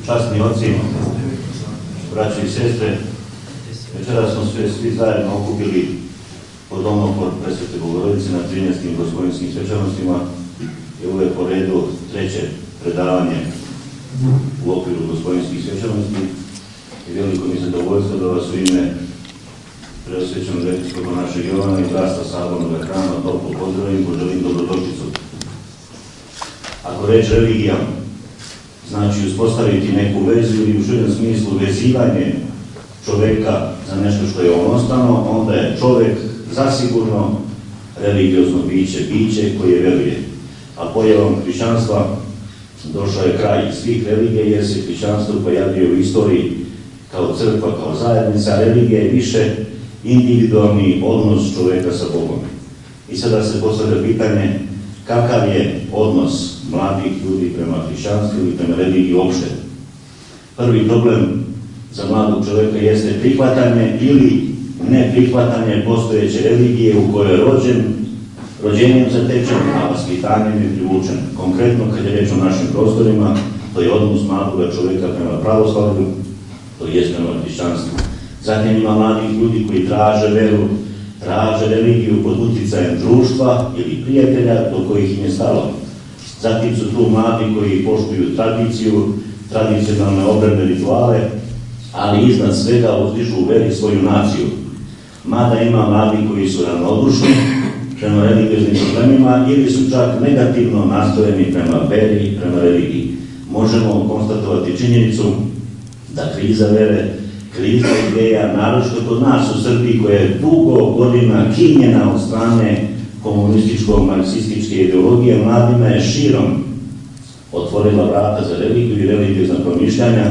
Časni oci, braće i sestre, večera smo svi zajedno okupili pod domom Presvete Bogorodice na 13. gospodinskim svečanostima i ovo je po redu treće predavanje u okviru gospodinskih svečanosti i veliko mi zadovoljstvo da vas u ime Preosvećenog episkopa našeg Jovana i bratstva Sabornog hrama toplo pozdravim, poželim dobrodošlicu. Ako reč religija znači uspostaviti neku vezu ili u širem smislu vezivanje čoveka za nešto što je on ostano, onda je čovek zasigurno religiozno biće koje veruje. A pojavom hrišćanstva došao je kraj svih religija jer se hrišćanstvo pojavio u istoriji kao crkva, kao zajednica. Religija je više individualni odnos čoveka sa Bogom. I sada se postavlja pitanje kakav je odnos mladih ljudi prema hrišćanstvu i prema religiji uopšte. Prvi problem za mladog čoveka jeste prihvatanje ili neprihvatanje postojeće religije u kojoj je rođenjem zatečen, a vaspitanjem je privučen. Konkretno, kad je reč o našim prostorima, to je odnos mladog čoveka prema pravoslavlju, to je prema hrišćanstvu. Zatim ima mladih ljudi koji traže veru, traže religiju pod uticajem društva ili prijatelja do kojih im je stalo. Zatim su tu mladi koji poštuju tradiciju, tradicionalne obrede, rituale, ali iznad svega uzdižu u veri svoju naciju. Mada ima mladi koji su ravnodušni prema religioznim problemima ili su čak negativno nastrojeni prema veri i prema religiji. Možemo konstatovati činjenicu da kriza vere, kriza ideja, naročito kod nas u Srbiji koja je dugo godina kinjena od strane komunističko-marksističke ideologije, mladima je širom otvorila vrata za religiju i religiozna promišljanja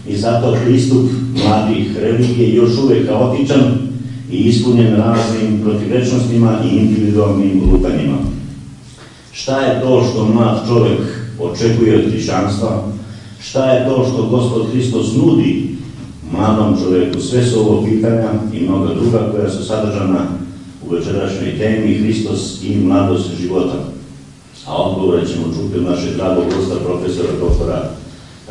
i zato pristup mladih religije je još uvek kaotičan i ispunjen raznim protivrečnostima i individualnim lutanjima. Šta je to što mlad čovek očekuje od hrišćanstva? Šta je to što Gospod Hristos nudi mladom čoveku? Sve su ovo pitanja i mnoga druga koja su sadržana u večerašnjoj temi Hristos i mladost života. A odgovore ćemo čuti od našeg dragog gosta, profesora doktora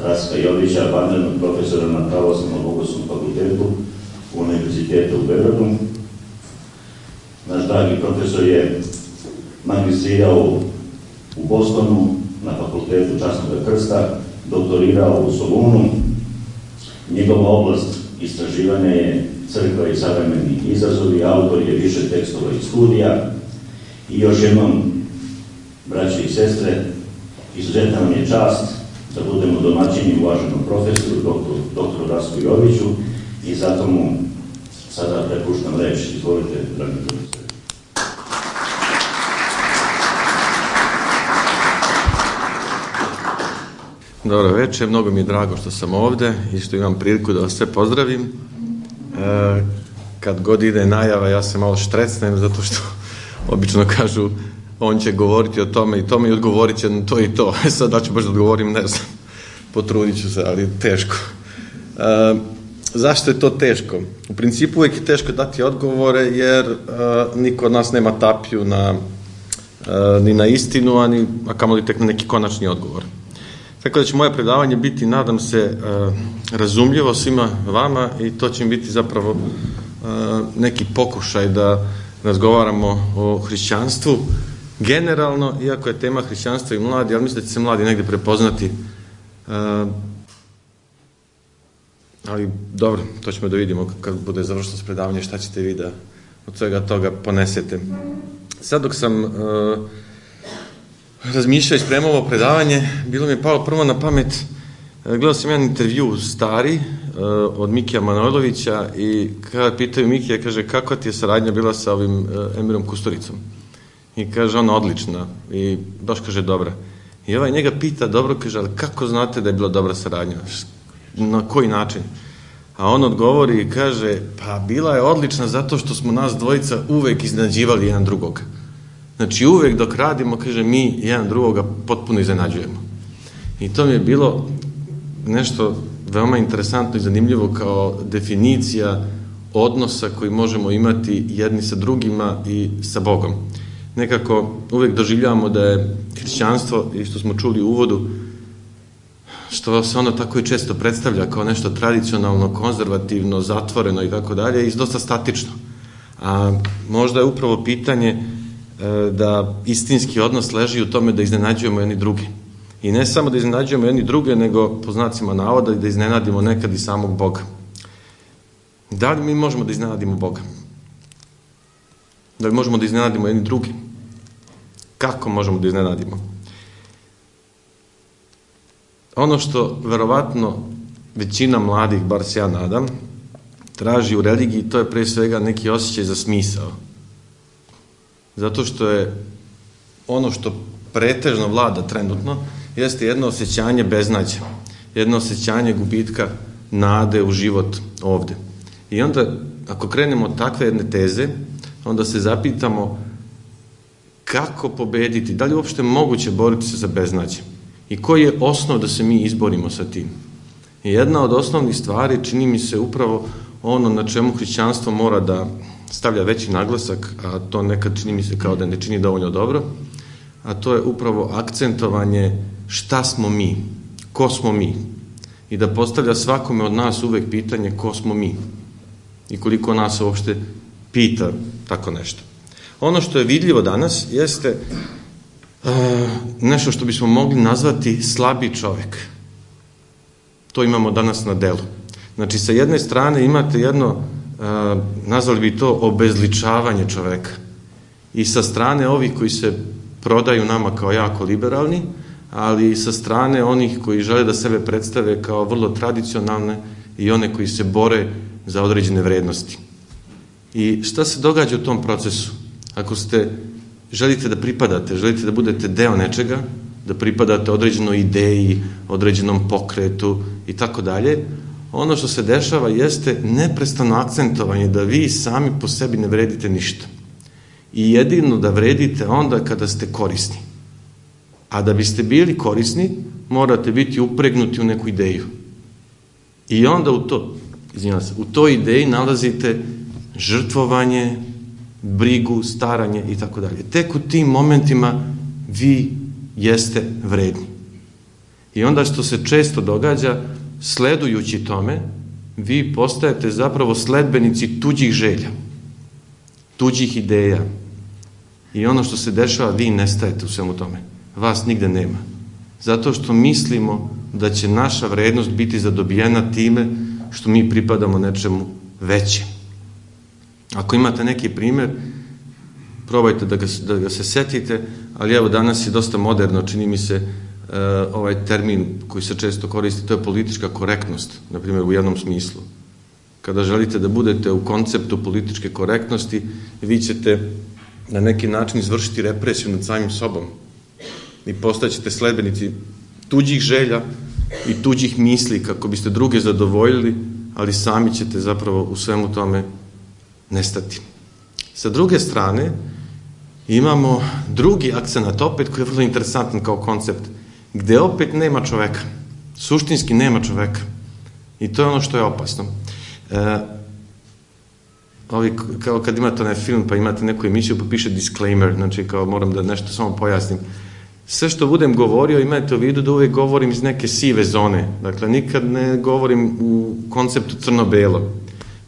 Rastka Jovića, vanrednog profesora na Pravoslavnom bogoslovnom fakultetu Univerziteta u Beogradu. Naš dragi profesor je magistrirao u Bostonu na fakultetu Časnog krsta, doktorirao u Solunu. Njegova oblast istraživanja je crkva i savremeni izazovi, autor je više tekstova i studija. I još jednom, braće i sestre, izuzetna nam je čast da budemo domaćini uvaženom profesoru, doktoru Rastku Joviću, i zato mu sada prepuštam reč. Izvolite, dragi profesor. Dobro večer, mnogo mi je drago što sam ovde i što imam priliku da vas sve pozdravim. Kad god ide najava, ja se malo štrecnem, zato što obično kažu on će govoriti o tome i tome i odgovorit će na to i to. Sad da ću baš da odgovorim, ne znam, potrudit ću se, ali teško. Zašto je to teško? U principu uvijek je teško dati odgovore, jer niko od nas nema tapiju ni na istinu, a kamoli tek na neki konačni odgovor. Tako da će moje predavanje biti, nadam se, razumljivo svima vama i to će biti zapravo neki pokušaj da razgovaramo o hrišćanstvu generalno, iako je tema hrišćanstva i mladi, ali mislim da će se mladi negdje prepoznati. Ali dobro, to ćemo da vidimo kad bude završeno s predavanje, šta ćete vi da od svega toga ponesete. Sad dok sam razmišljao i spremao ovo predavanje, bilo mi je palo prvo na pamet, gledao sam jedan intervju stari od Mikija Manojlovića i kada pitaju Mikija, kaže, kakva ti je saradnja bila sa ovim Emirom Kusturicom? I kaže, ona odlična. I baš kaže, dobra. I ovaj njega pita, dobro, kaže, ali kako znate da je bila dobra saradnja? Na koji način? A on odgovori i kaže, pa bila je odlična zato što smo nas dvojica uvek iznenađivali jedan drugog. Znači uvek dok radimo, kaže, mi jedan drugoga potpuno iznenađujemo. I to mi je bilo nešto veoma interesantno i zanimljivo kao definicija odnosa koji možemo imati jedni sa drugima i sa Bogom. Nekako uvek doživljavamo da je hrišćanstvo, i što smo čuli u uvodu, što se ono tako i često predstavlja kao nešto tradicionalno, konzervativno, zatvoreno i tako dalje, i dosta statično. A možda je upravo pitanje da istinski odnos leži u tome da iznenađujemo jedni drugi. I ne samo da iznenađujemo jedni druge, nego po znacima navoda da iznenadimo nekad i samog Boga. Da li mi možemo da iznenadimo Boga? Da li možemo da iznenadimo jedni drugi? Kako možemo da iznenadimo? Ono što verovatno većina mladih, bar se ja nadam, traži u religiji, to je pre svega neki osjećaj za smisao. Zato što je ono što pretežno vlada trenutno, jeste jedno osjećanje beznađa, jedno osjećanje gubitka nade u život ovde. I onda, ako krenemo od takve jedne teze, onda se zapitamo kako pobediti, da li je uopšte moguće boriti se za beznađe i koji je osnov da se mi izborimo sa tim. I jedna od osnovnih stvari, čini mi se, upravo ono na čemu hrišćanstvo mora da stavlja veći naglasak, a to nekad čini mi se kao da ne čini dovoljno dobro, a to je upravo akcentovanje šta smo mi, ko smo mi, i da postavlja svakome od nas uvek pitanje ko smo mi i koliko nas uopšte pita tako nešto. Ono što je vidljivo danas jeste nešto što bismo mogli nazvati slabi čovek. To imamo danas na delu. Znači, sa jedne strane imate jedno, nazvali bi to obezličavanje čoveka. I sa strane ovih koji se prodaju nama kao jako liberalni, ali i sa strane onih koji žele da sebe predstave kao vrlo tradicionalne i one koji se bore za određene vrednosti. I šta se događa u tom procesu? Ako želite da pripadate, želite da budete deo nečega, da pripadate određenoj ideji, određenom pokretu i tako dalje, ono što se dešava jeste neprestano akcentovanje da vi sami po sebi ne vredite ništa. I jedino da vredite onda kada ste korisni. A da biste bili korisni, morate biti upregnuti u neku ideju. I onda u toj ideji nalazite žrtvovanje, brigu, staranje i tako dalje. Tek u tim momentima vi jeste vredni. I onda što se često događa, sledujući tome, vi postajete zapravo sledbenici tuđih želja, tuđih ideja. I ono što se dešava, vi nestajete u svemu tome. Vas nigde nema. Zato što mislimo da će naša vrednost biti zadobijena time što mi pripadamo nečemu većem. Ako imate neki primer, probajte da ga se setite, ali evo danas je dosta moderno, čini mi se, ovaj termin koji se često koristi, to je politička korektnost, na primjer u jednom smislu. Kada želite da budete u konceptu političke korektnosti, vi ćete na neki način izvršiti represiju nad samim sobom i postaćete sledbenici tuđih želja i tuđih misli kako biste druge zadovoljili, ali sami ćete zapravo u svemu tome nestati. Sa druge strane, imamo drugi akcenat opet koji je vrlo interesantan kao koncept, gde opet nema čoveka. Suštinski nema čoveka. I to je ono što je opasno. Kao kad imate onaj film pa imate neku emisiju pa piše disclaimer, znači kao moram da nešto samo pojasnim. Sve što budem govorio imajte u vidu da uvijek govorim iz neke sive zone. Dakle, nikad ne govorim u konceptu crno-belo.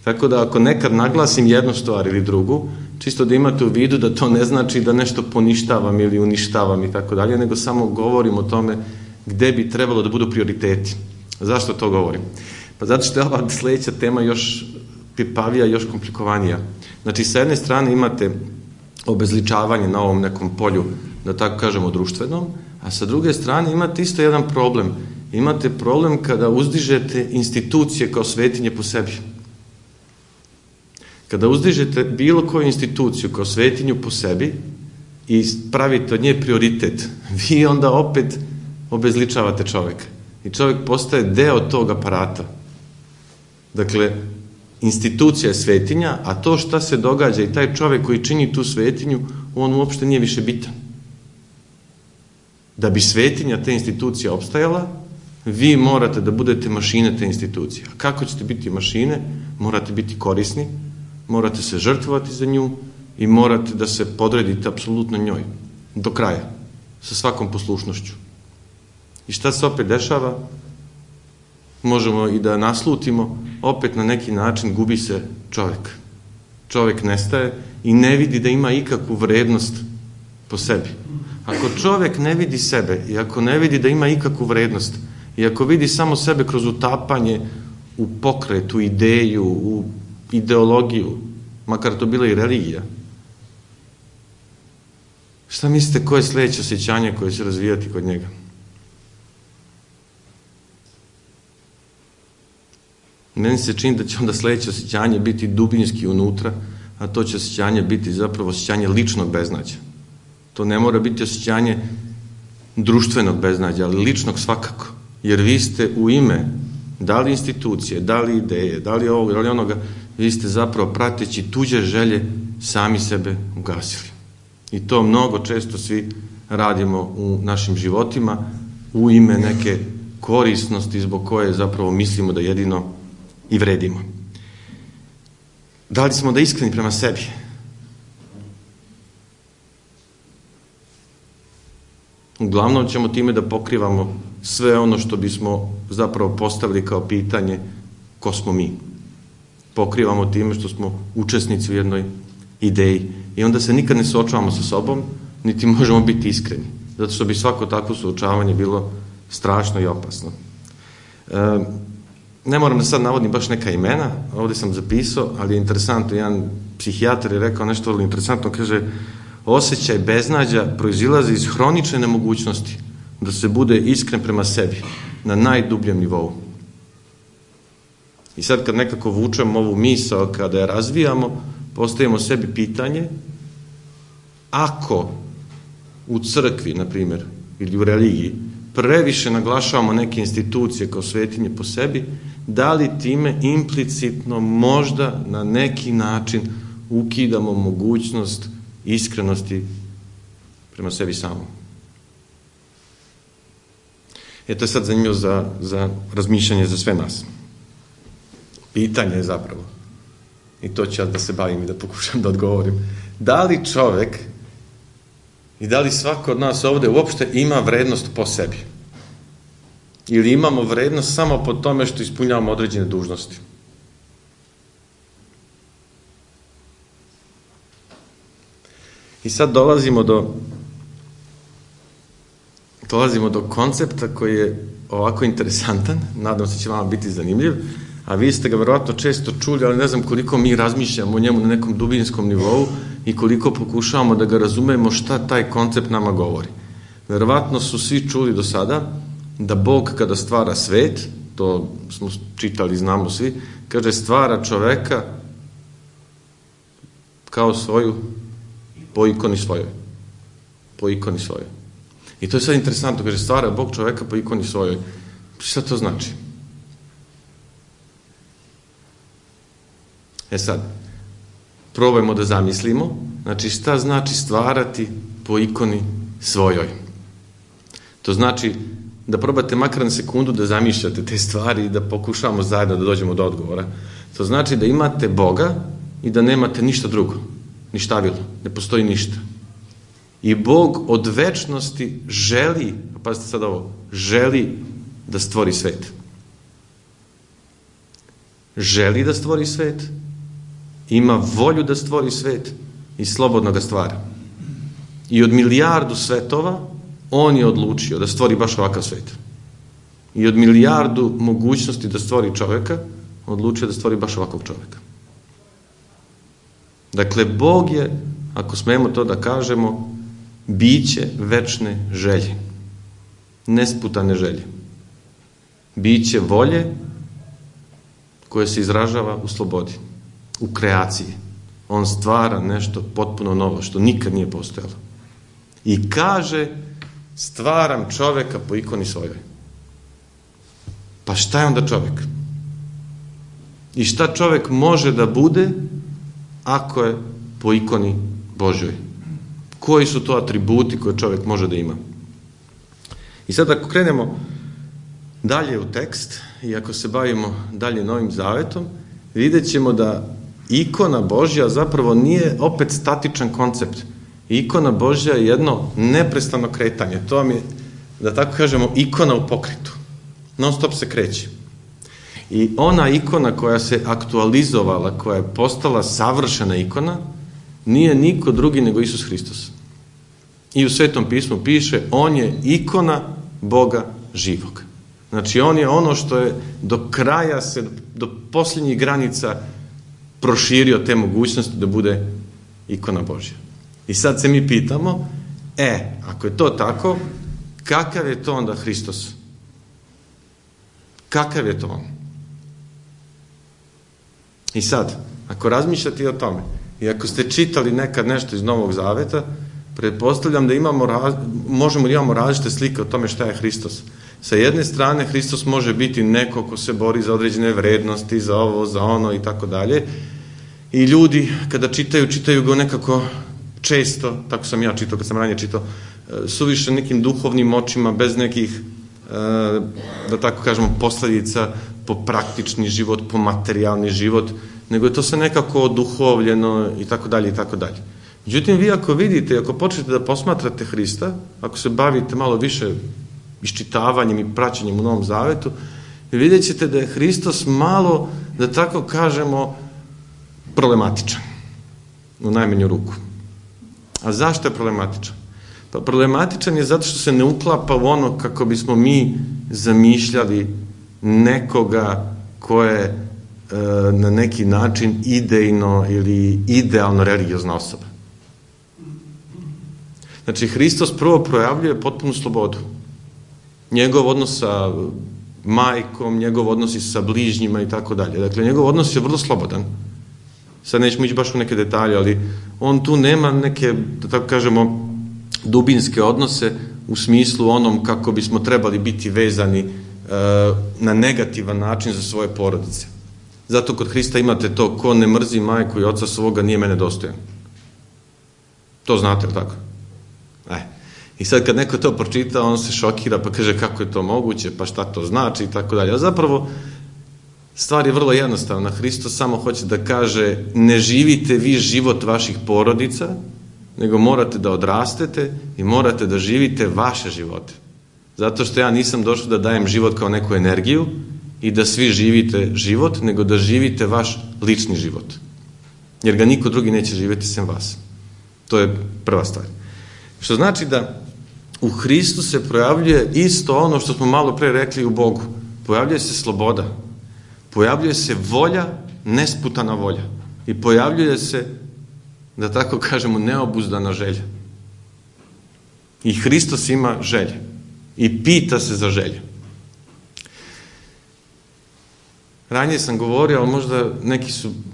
Tako da ako nekad naglasim jednu stvar ili drugu, čisto da imate u vidu da to ne znači da nešto poništavam ili uništavam i tako dalje, nego samo govorim o tome gde bi trebalo da budu prioriteti. Zašto to govorim? Pa zato što je ova sledeća tema još pipavija, još komplikovanija. Znači, sa jedne strane imate obezličavanje na ovom nekom polju, da tako kažemo, društvenom, a sa druge strane imate isto jedan problem. Imate problem kada uzdižete institucije kao svetinje po sebi. Kada uzdižete bilo koju instituciju kao svetinju po sebi i pravite od nje prioritet, vi onda opet obezličavate čoveka. I čovek postaje deo tog aparata. Dakle, institucija je svetinja, a to šta se događa i taj čovek koji čini tu svetinju, on uopšte nije više bitan. Da bi svetinja te institucije opstajala, vi morate da budete mašine te institucije. A kako ćete biti mašine? Morate biti korisni, morate se žrtvovati za nju i morate da se podredite apsolutno njoj. Do kraja. Sa svakom poslušnošću. I šta se opet dešava? možemo i da naslutimo, opet na neki način gubi se čovjek. Čovjek nestaje i ne vidi da ima ikakvu vrednost po sebi. Ako čovjek ne vidi sebe i ako ne vidi da ima ikakvu vrednost i ako vidi samo sebe kroz utapanje u pokret, u ideju, u ideologiju, makar to bila i religija, šta mislite koje je sljedeće osjećanje koje će razvijati kod njega? Meni se čini da će onda sljedeće osjećanje biti dubinski unutra, a to će osjećanje biti zapravo osjećanje ličnog beznađa. To ne mora biti osjećanje društvenog beznađa, ali ličnog svakako. Jer vi ste u ime, da li institucije, da li ideje, da li ovoga, da li onoga, vi ste zapravo prateći tuđe želje sami sebe ugasili. I to mnogo često svi radimo u našim životima u ime neke korisnosti zbog koje zapravo mislimo da jedino i vredimo. Da li smo da iskreni prema sebi? Uglavnom ćemo time da pokrivamo sve ono što bismo zapravo postavili kao pitanje ko smo mi. Pokrivamo time što smo učesnici u jednoj ideji i onda se nikad ne suočavamo sa sobom, niti možemo biti iskreni. Zato što bi svako takvo suočavanje bilo strašno i opasno. Ne moram da sad navodim baš neka imena, ovdje sam zapisao, ali je interesantno, jedan psihijatar je rekao nešto vrlo interesantno, kaže, osjećaj beznađa proizilazi iz hronične nemogućnosti da se bude iskren prema sebi na najdubljem nivou. I sad kad nekako vučemo ovu misao, kada je razvijamo, postavimo sebi pitanje, ako u crkvi, na primjer, ili u religiji, previše naglašavamo neke institucije kao svetinje po sebi, da li time implicitno možda na neki način ukidamo mogućnost iskrenosti prema sebi samom. To je sad zanimljivo za razmišljanje za sve nas. Pitanje je zapravo, i to ću ja da se bavim i da pokušam da odgovorim, da li čovek i da li svako od nas ovdje uopšte ima vrednost po sebi? Ili imamo vrednost samo po tome što ispunjavamo određene dužnosti? I sad dolazimo do koncepta koji je ovako interesantan, nadam se će vama biti zanimljiv, a vi ste ga verovatno često čuli, ali ne znam koliko mi razmišljamo o njemu na nekom dubinskom nivou i koliko pokušavamo da ga razumemo šta taj koncept nama govori. Verovatno su svi čuli do sada da Bog kada stvara svet, to smo čitali, znamo svi, kaže stvara čoveka kao svoju, po ikoni svojoj. Po ikoni svojoj. I to je sad interesantno, kaže stvara Bog čoveka po ikoni svojoj. Šta to znači? Sad, probajmo da zamislimo, znači šta znači stvarati po ikoni svojoj. To znači da probate makar na sekundu da zamišljate te stvari i da pokušamo zajedno da dođemo do odgovora. To znači da imate Boga i da nemate ništa drugo, ništavilo, ne postoji ništa. I Bog od večnosti želi, pazite sad ovo, želi da stvori svet. Želi da stvori svet, ima volju da stvori svet i slobodno ga stvara. I od milijardu svetova on je odlučio da stvori baš ovakav svet. I od milijardu mogućnosti da stvori čovjeka, odlučio da stvori baš ovakvog čovjeka. Dakle, Bog je, ako smemo to da kažemo, biće večne želje. Nesputane želje. Biće volje koje se izražava u slobodi, u kreaciji. On stvara nešto potpuno novo, što nikad nije postojalo. I kaže, stvaram čoveka po ikoni svojoj. Pa šta je onda čovek? I šta čovek može da bude ako je po ikoni Božjoj? Koji su to atributi koje čovek može da ima? I sad ako krenemo dalje u tekst i ako se bavimo dalje Novim Zavetom, vidjet ćemo da ikona Božja zapravo nije opet statičan koncept. Ikona Božja je jedno neprestano kretanje. To vam je, da tako kažemo, ikona u pokretu. Non stop se kreće. I ona ikona koja se aktualizovala, koja je postala savršena ikona, nije niko drugi nego Isus Hristos. I u Svetom pismu piše, on je ikona Boga živog. Znači, on je ono što je do kraja do posljednjih granica proširio te mogućnosti da bude ikona Božja. I sad se mi pitamo, ako je to tako, kakav je to onda Hristos? Kakav je to on? I sad, ako razmišljate o tome, i ako ste čitali nekad nešto iz Novog Zaveta, pretpostavljam da možemo da imamo različite slike o tome šta je Hristos. Sa jedne strane, Hristos može biti neko ko se bori za određene vrednosti, za ovo, za ono i tako dalje. I ljudi, kada čitaju ga nekako često, tako sam ja čitao, kad sam ranije čitao, suviše nekim duhovnim očima, bez nekih, da tako kažemo, posledica po praktični život, po materijalni život, nego je to sve nekako oduhovljeno i tako dalje i tako dalje. Međutim, vi ako vidite, ako počnete da posmatrate Hrista, ako se bavite malo više iščitavanjem i praćenjem u Novom Zavetu, vidjet ćete da je Hristos malo, da tako kažemo, problematičan. U najmanju ruku. A zašto je problematičan? Pa problematičan je zato što se ne uklapa u ono kako bismo mi zamišljali nekoga ko je na neki način idejno ili idealno religiozna osoba. Znači, Hristos prvo projavljuje potpunu slobodu. Njegov odnos sa majkom, njegov odnos i sa bližnjima i tako dalje. Dakle, njegov odnos je vrlo slobodan. Sad nećemo ići baš u neke detalje, ali on tu nema neke, da tako kažemo, dubinske odnose u smislu onom kako bismo trebali biti vezani na negativan način za svoje porodice. Zato kod Hrista imate to, ko ne mrzi majku i oca svoga, nije mene dostojan. To znate, tako? I sad kad neko to pročita, on se šokira pa kaže kako je to moguće, pa šta to znači i tako dalje. A zapravo stvar je vrlo jednostavna. Hristos samo hoće da kaže, ne živite vi život vaših porodica, nego morate da odrastete i morate da živite vaše živote. Zato što ja nisam došao da dajem život kao neku energiju i da svi živite život, nego da živite vaš lični život. Jer ga niko drugi neće živjeti sem vas. To je prva stvar. Što znači da u Hristu se projavljuje isto ono što smo malo pre rekli u Bogu. Pojavljuje se sloboda. Pojavljuje se volja, nesputana volja. I pojavljuje se, da tako kažemo, neobuzdana želja. I Hristos ima želje. I pita se za želje. Ranije sam govorio, ali možda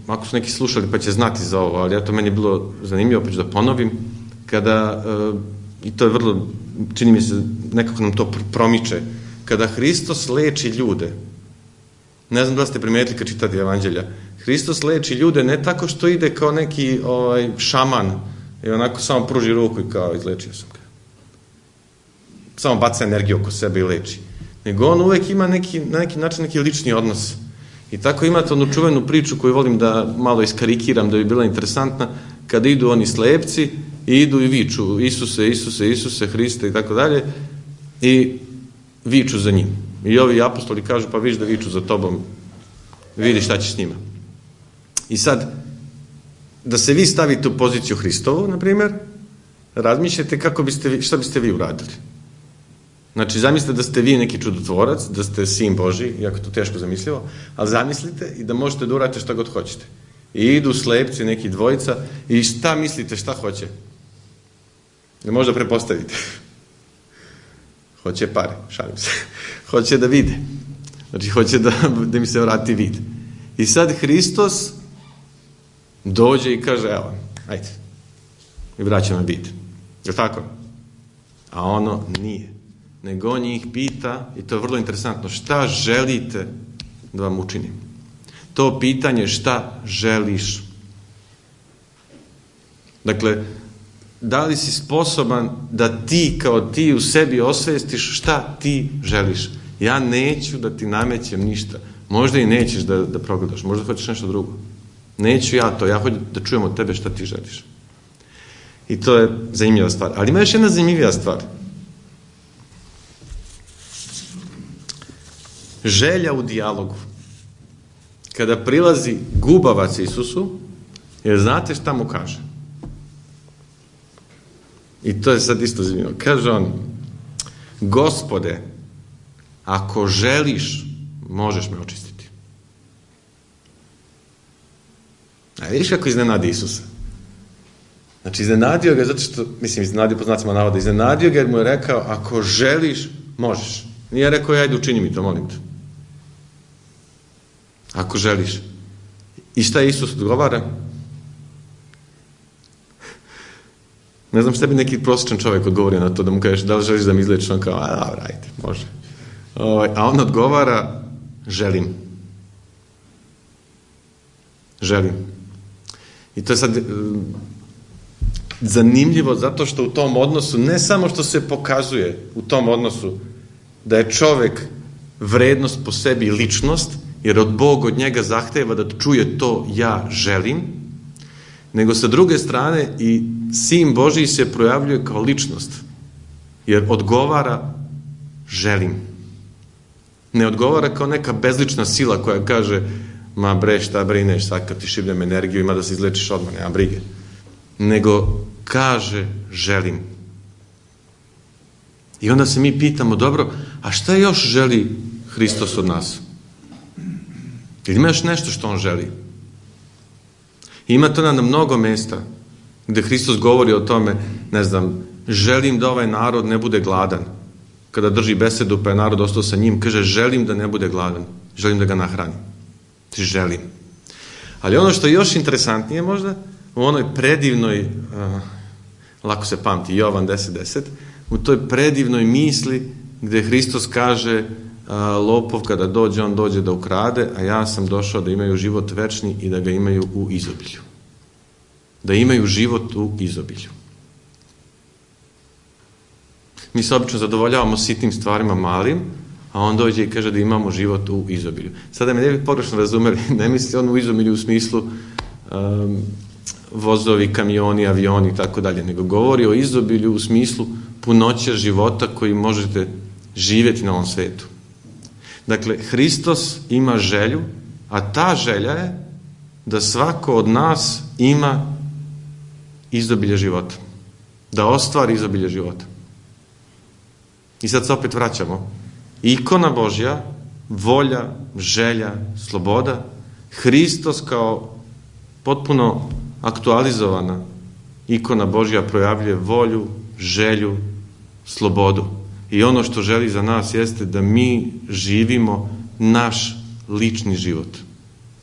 ako su neki slušali pa će znati za ovo, ali eto, meni je bilo zanimljivo, pa ću da ponovim, kada, i to je vrlo, čini mi se, nekako nam to promiče, kada Hristos leči ljude, ne znam da ste primetili kad čitate evanđelja, Hristos leči ljude ne tako što ide kao neki šaman i onako samo pruži ruku i kao izlečio sam ga. Samo baca energiju oko sebe i leči. Nego on uvek ima na neki način neki lični odnos. I tako imate onu čuvenu priču koju volim da malo iskarikiram da bi bila interesantna, kada idu oni slepci i idu i viču Isuse, Isuse, Isuse, Hriste i tako dalje i viču za njim. I ovi apostoli kažu, pa viš da viču za tobom, vidi šta ćeš s njima. I sad, da se vi stavite u poziciju Hristovu, na primjer, razmišljate šta biste vi uradili. Znači, zamislite da ste vi neki čudotvorac, da ste sin Božji, iako je to teško zamislivo, ali zamislite i da možete da uradite šta god hoćete. I idu slepci, neki dvojica, i šta mislite, šta hoće? Ne možda prepostavite. Hoće pare, šalim se. Hoće da vide. Znači, hoće da mi se vrati vid. I sad Hristos dođe i kaže, evo, ajde, i vraća me vid. Je tako? A ono nije. Nego on njih pita, i to je vrlo interesantno, šta želite da vam učinim? To pitanje šta želiš? Dakle, da li si sposoban da ti kao ti u sebi osvestiš šta ti želiš? Ja neću da ti namećem ništa. Možda i nećeš da progledaš, možda hoćeš nešto drugo. Neću ja to, ja hoću da čujem od tebe šta ti želiš. I to je zanimljiva stvar. Ali ima još jedna zanimljiva stvar. Želja u dijalogu. kada prilazi gubavac Isusu, jer znate šta mu kaže? I to je sad isto zanimljivo. Kaže on, Gospode, ako želiš, možeš me očistiti. A vidiš kako iznenadi Isusa? Znači, iznenadio ga zato što, iznenadio po znacima navoda, iznenadio ga jer mu je rekao, ako želiš, možeš. Nije rekao, ajde učini mi to, molim te. Ako želiš. I šta Isus odgovara? Ne znam šta bi neki prosječan čovjek odgovorio na to, da mu kažeš, da li želiš da mi izlečiš? On kao, dobro, ajde, može. A on odgovara, želim. Želim. I to je sad zanimljivo zato što u tom odnosu, ne samo što se pokazuje u tom odnosu da je čovjek vrednost po sebi i ličnost, jer Bog od njega zahteva da čuje to ja želim, nego sa druge strane i Sin Božji se projavljuje kao ličnost, jer odgovara želim. Ne odgovara kao neka bezlična sila koja kaže ma bre, šta brineš, sad kad ti šibnem energiju, ima da se izlečiš odmah, nema brige. Nego kaže želim. I onda se mi pitamo, dobro, a šta još želi Hristos od nas? Ili ima još nešto što on želi? I ima to na mnogo mesta gde Hristos govori o tome, ne znam, želim da ovaj narod ne bude gladan. Kada drži besedu pa je narod ostao sa njim, kaže želim da ne bude gladan, želim da ga nahranim. Želim. Ali ono što je još interesantnije možda, u onoj predivnoj, lako se pamti, Jovan 10:10, u toj predivnoj misli gde Hristos kaže lopov kada dođe, on dođe da ukrade, a ja sam došao da imaju život večni i da ga imaju u izobilju. Da imaju život u izobilju. Mi se obično zadovoljavamo sitnim stvarima malim, a on dođe i kaže da imamo život u izobilju. Sada me ne bi pogrešno razumeli, ne misli on u izobilju u smislu vozovi, kamioni, avioni i tako dalje, nego govori o izobilju u smislu punoće života koji možete živjeti na ovom svetu. Dakle, Hristos ima želju, a ta želja je da svako od nas ima izobilje života. Da ostvari izobilje života. I sad se opet vraćamo. Ikona Božja, volja, želja, sloboda, Hristos kao potpuno aktualizovana ikona Božja projavljuje volju, želju, slobodu. I ono što želi za nas jeste da mi živimo naš lični život.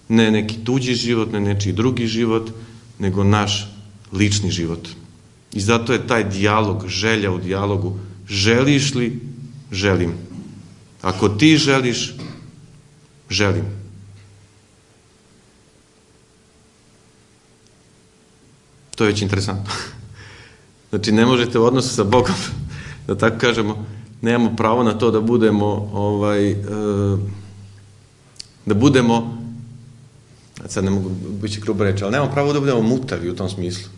Ne neki tuđi život, ne nečiji drugi život, nego naš lični život. I zato je taj dijalog, želja u dijalogu. Želiš li? Želim. Ako ti želiš, želim. To je već interesantno. Znači, ne možete u odnosu sa Bogom, da tako kažemo, nemamo pravo na to da budemo, sad ne mogu biti grubo reći, ali nemamo pravo da budemo mutavi u tom smislu.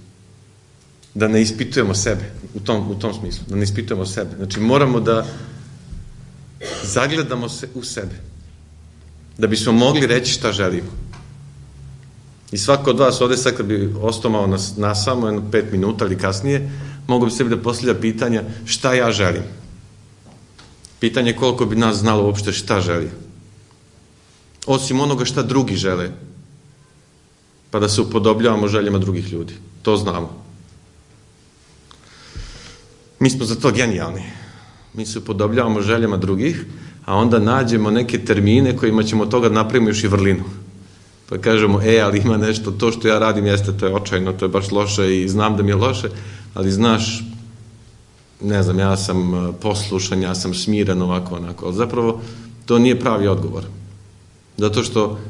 Da ne ispitujemo sebe u tom smislu. Da ne ispitujemo sebe. Znači, moramo da zagledamo se u sebe. Da bismo mogli reći šta želimo. I svako od vas ovdje sad kad bi ostao malo na samo 5 minuta ili kasnije, mogu bi sebi da postavlja pitanja šta ja želim. Pitanje koliko bi nas znalo uopšte šta želi. Osim onoga šta drugi žele. Pa da se upodobljavamo željama drugih ljudi. To znamo. Mi smo za to genijalni. Mi se upodobljavamo željama drugih, a onda nađemo neke termine kojima ćemo od toga napraviti još i vrlinu. Pa kažemo, ali ima nešto, to što ja radim jeste, to je očajno, to je baš loše i znam da mi je loše, ali znaš, ne znam, ja sam poslušan, ja sam smiren, ovako, onako, ali zapravo to nije pravi odgovor. Zato što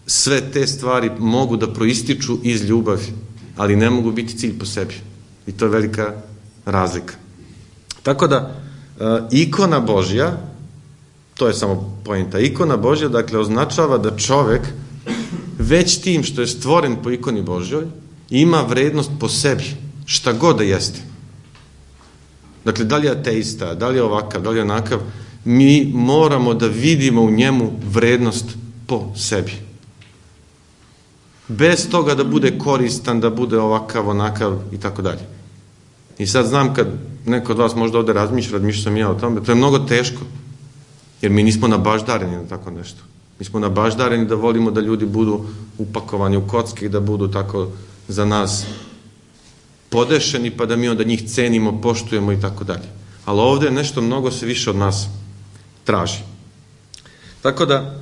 sve te stvari mogu da proističu iz ljubavi, ali ne mogu biti cilj po sebi. I to je velika razlika. Tako da, ikona Božja, to je samo poenta, ikona Božja, dakle, označava da čovek već tim što je stvoren po ikoni Božjoj, ima vrednost po sebi, šta god da jeste. Dakle, da li je ateista, da li je ovakav, da li je onakav, mi moramo da vidimo u njemu vrednost po sebi. bez toga da bude koristan, da bude ovakav, onakav i tako dalje. I sad znam kad neko od vas možda ovde razmišlja sam ja o tome, to je mnogo teško, jer mi nismo nabaždareni na tako nešto. Mi smo nabaždareni da volimo da ljudi budu upakovani u kocke i da budu tako za nas podešeni, pa da mi onda njih cenimo, poštujemo i tako dalje. Ali ovde nešto mnogo se više od nas traži. Tako da,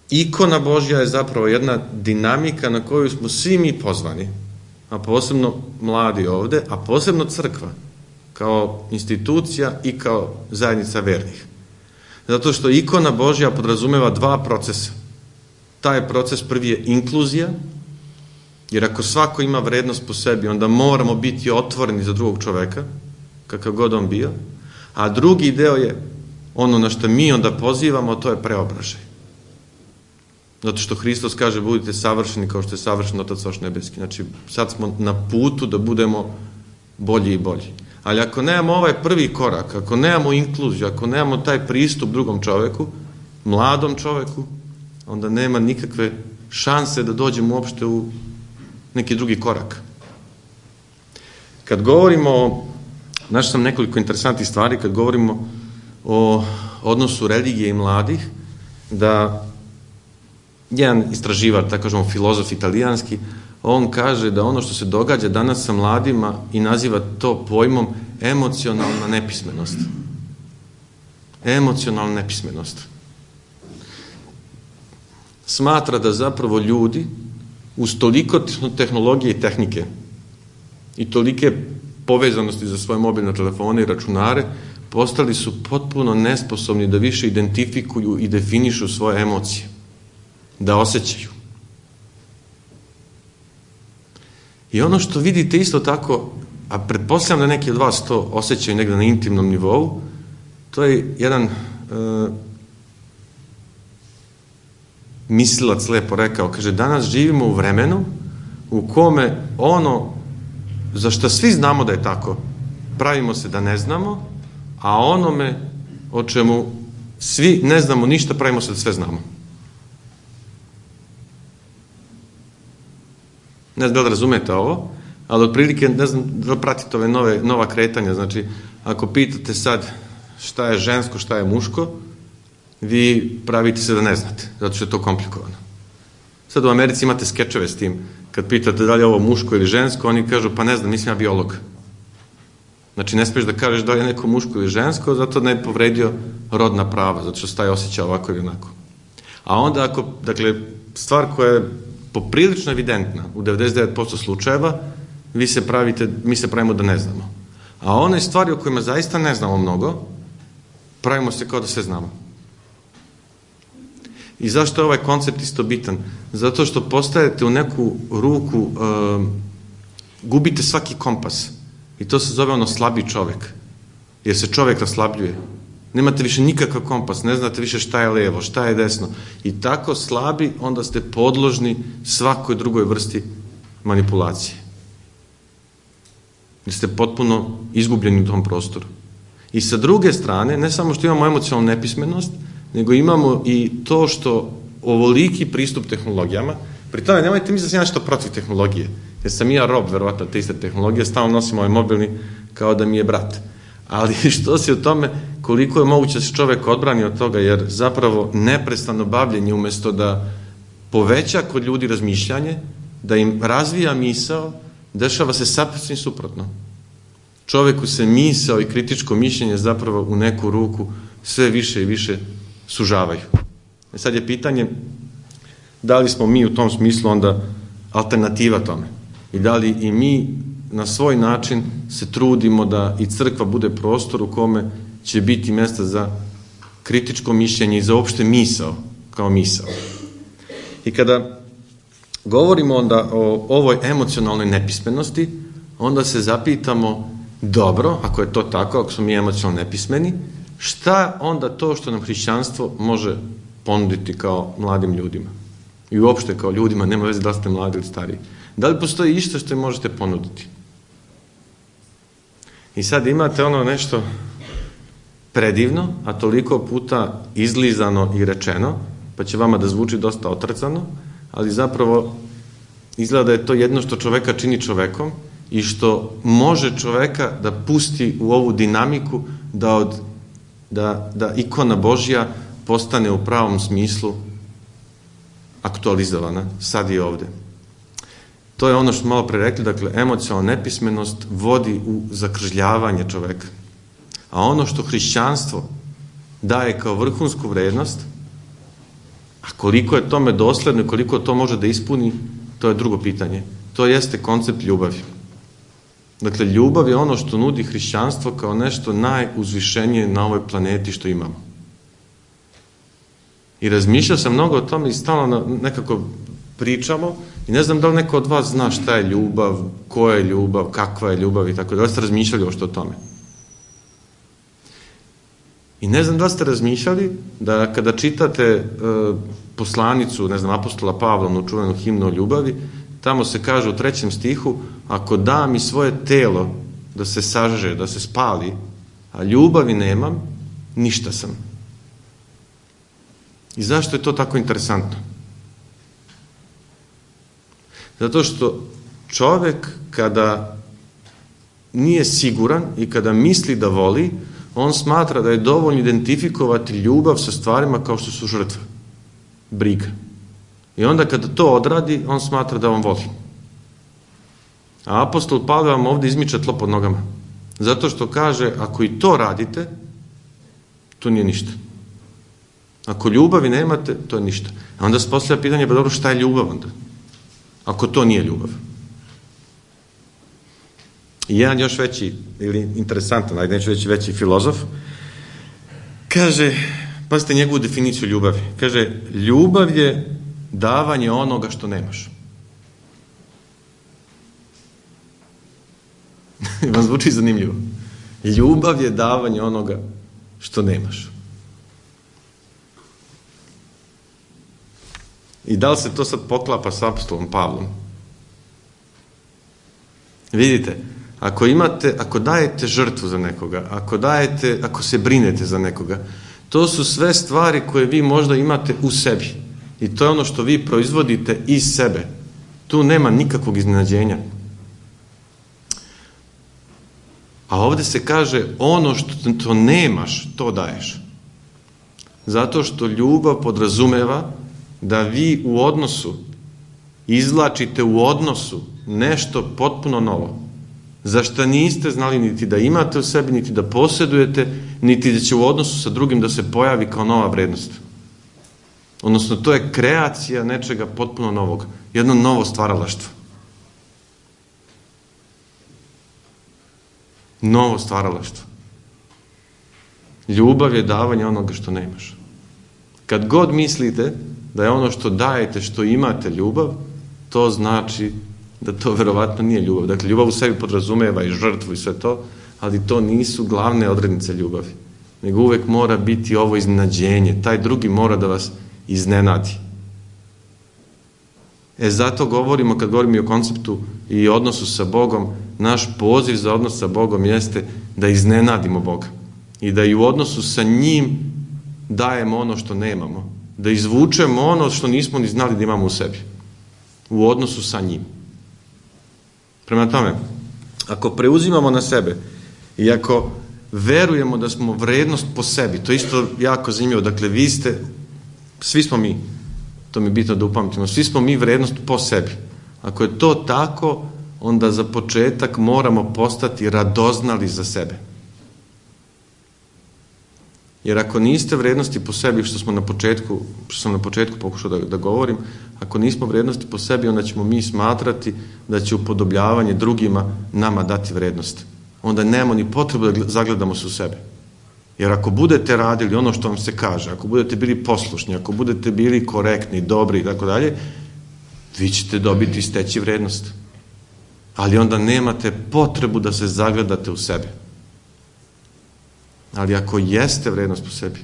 ikona Božja je zapravo jedna dinamika na koju smo svi mi pozvani, a posebno mladi ovde, a posebno crkva, kao institucija i kao zajednica vernih. Zato što ikona Božja podrazumeva dva procesa. Taj proces prvi je inkluzija, jer ako svako ima vrednost po sebi, onda moramo biti otvoreni za drugog čoveka, kakav god on bio, a drugi deo je ono na što mi onda pozivamo, to je preobražaj. Zato što Hristos kaže budite savršeni kao što je savršen Otac vaš nebeski. Znači sad smo na putu da budemo bolji i bolji. Ali ako nemamo ovaj prvi korak, ako nemamo inkluziju, ako nemamo taj pristup drugom čoveku, mladom čoveku, onda nema nikakve šanse da dođemo uopšte u neki drugi korak. Kad govorimo, našao sam nekoliko interesantnih stvari, kad govorimo o odnosu religije i mladih, da jedan istraživač, tako kažemo filozof italijanski, on kaže da ono što se događa danas sa mladima i naziva to pojmom emocionalna nepismenost. Emocionalna nepismenost. Smatra da zapravo ljudi uz toliko tehnologije i tehnike i tolike povezanosti za svoje mobilne telefone i računare postali su potpuno nesposobni da više identifikuju i definišu svoje emocije, da osjećaju. I ono što vidite isto tako, a pretpostavljam da neki od vas to osjećaju negde na intimnom nivou, to je jedan mislilac lepo rekao, kaže, danas živimo u vremenu u kome ono za što svi znamo da je tako, pravimo se da ne znamo, a onome o čemu svi ne znamo ništa, pravimo se da sve znamo. Ne znam da li razumete ovo, ali otprilike, ne znam da li pratite ove nova kretanja, znači, ako pitate sad šta je žensko, šta je muško, vi pravite se da ne znate, zato što je to komplikovano. Sad u Americi imate skečeve s tim, kad pitate da li je ovo muško ili žensko, oni kažu, pa ne znam, nisam ja biolog. Znači, ne smiješ da kažeš da li je neko muško ili žensko, zato ne bi povredio rodna prava, zato što se taj osjeća ovako ili onako. A onda ako, dakle, stvar koja je poprilično evidentna u 99% slučajeva, mi se pravimo da ne znamo. A one stvari o kojima zaista ne znamo mnogo, pravimo se kao da sve znamo. I zašto je ovaj koncept isto bitan? Zato što postajete u neku ruku, gubite svaki kompas. I to se zove ono slabi čovek. Jer se čovek raslabljuje. Nemate više nikakav kompas, ne znate više šta je levo, šta je desno. I tako slabi, onda ste podložni svakoj drugoj vrsti manipulacije. Jer ste potpuno izgubljeni u tom prostoru. I sa druge strane, ne samo što imamo emocionalnu nepismenost, nego imamo i to što ovoliki pristup tehnologijama, pri tome nemojte misliti da sam nešto protiv tehnologije, jer sam i ja rob, verovatno, te iste tehnologije, stalno nosim ovaj mobilni kao da mi je brat. Ali što si o tome, koliko je moguće da se čovek odbrani od toga, jer zapravo neprestano bavljenje umesto da poveća kod ljudi razmišljanje, da im razvija misao, dešava se sasvim suprotno. Čoveku se misao i kritičko mišljenje zapravo u neku ruku sve više i više sužavaju. Sad je pitanje da li smo mi u tom smislu onda alternativa tome i da li i mi na svoj način se trudimo da i crkva bude prostor u kome će biti mesta za kritičko mišljenje i za opšte misao kao misao. I kada govorimo onda o ovoj emocionalnoj nepismenosti, onda se zapitamo, dobro, ako je to tako, ako smo mi emocionalno nepismeni, šta onda to što nam hrišćanstvo može ponuditi kao mladim ljudima? I uopšte kao ljudima, nema veze da li ste mladi ili stariji. Da li postoji išta što im možete ponuditi? I sad imate ono nešto predivno, a toliko puta izlizano i rečeno, pa će vama da zvuči dosta otrcano, ali zapravo izgleda da je to jedno što čoveka čini čovekom i što može čoveka da pusti u ovu dinamiku da ikona Božja postane u pravom smislu aktualizovana, sad i ovde. To je ono što malo pre rekli, dakle, emocionalna nepismenost vodi u zakržljavanje čoveka. A ono što hrišćanstvo daje kao vrhunsku vrednost, a koliko je tome dosledno i koliko to može da ispuni, to je drugo pitanje. To jeste koncept ljubavi. Dakle, ljubav je ono što nudi hrišćanstvo kao nešto najuzvišenije na ovoj planeti što imamo. I razmišljao sam mnogo o tome i stalno nekako pričamo i ne znam da li neko od vas zna šta je ljubav, ko je ljubav, kakva je ljubav i tako da li ste razmišljali o što o tome. I ne znam da li ste razmišljali da kada čitate poslanicu, ne znam, apostola Pavla, čuvenu himnu o ljubavi, tamo se kaže u 3. stihu, ako dam i svoje telo da se sažeže, da se spali, a ljubavi nemam, ništa sam. I zašto je to tako interesantno? Zato što čovek kada nije siguran i kada misli da voli, on smatra da je dovoljno identifikovati ljubav sa stvarima kao što su žrtva, briga. I onda kada to odradi, on smatra da on voli. A apostol Pavle vam ovde izmiča tlo pod nogama. Zato što kaže, ako i to radite, to nije ništa. Ako ljubavi nemate, to je ništa. A onda se postavlja pitanje, pa dobro, šta je ljubav onda? Ako to nije ljubav. I jedan još veći, ili interesantan, ajde neću reći veći filozof, kaže, pazite njegovu definiciju ljubavi. Kaže, ljubav je davanje onoga što nemaš. Vam zvuči zanimljivo. Ljubav je davanje onoga što nemaš. I da li se to sad poklapa s apostolom Pavlom? Vidite, ako dajete žrtvu za nekoga, ako se brinete za nekoga, to su sve stvari koje vi možda imate u sebi. I to je ono što vi proizvodite iz sebe. Tu nema nikakvog iznenađenja. A ovde se kaže, ono što to nemaš, to daješ. Zato što ljubav podrazumeva da vi u odnosu izvlačite u odnosu nešto potpuno novo, za šta niste znali niti da imate u sebi, niti da posjedujete, niti da će u odnosu sa drugim da se pojavi kao nova vrednost. Odnosno, to je kreacija nečega potpuno novog, jedno novo stvaralaštvo. Novo stvaralaštvo. Ljubav je davanje onoga što nemaš. Kad god mislite da je ono što dajete, što imate ljubav, to znači da to verovatno nije ljubav. Dakle, ljubav u sebi podrazumeva i žrtvu i sve to, ali to nisu glavne odrednice ljubavi. Nego uvek mora biti ovo iznenađenje. Taj drugi mora da vas iznenadi. Zato govorimo, kad govorimo i o konceptu i odnosu sa Bogom, naš poziv za odnos sa Bogom jeste da iznenadimo Boga. I da i u odnosu sa njim dajemo ono što nemamo. Da izvučemo ono što nismo ni znali da imamo u sebi. U odnosu sa njim. Prema tome, ako preuzimamo na sebe i ako verujemo da smo vrednost po sebi, to je isto jako zanimljivo, dakle vi ste, svi smo mi, to mi je bitno da upamtimo, svi smo mi vrednost po sebi. Ako je to tako, onda za početak moramo postati radoznali za sebe. Jer ako niste vrednosti po sebi, što sam na početku pokušao da govorim, ako nismo vrednosti po sebi, onda ćemo mi smatrati da će upodobljavanje drugima nama dati vrednost. Onda nemamo ni potrebu da zagledamo se u sebe. Jer ako budete radili ono što vam se kaže, ako budete bili poslušni, ako budete bili korektni, dobri i tako dalje, vi ćete dobiti i steći vrednost. Ali onda nemate potrebu da se zagledate u sebe. Ali ako jeste vrednost po sebi,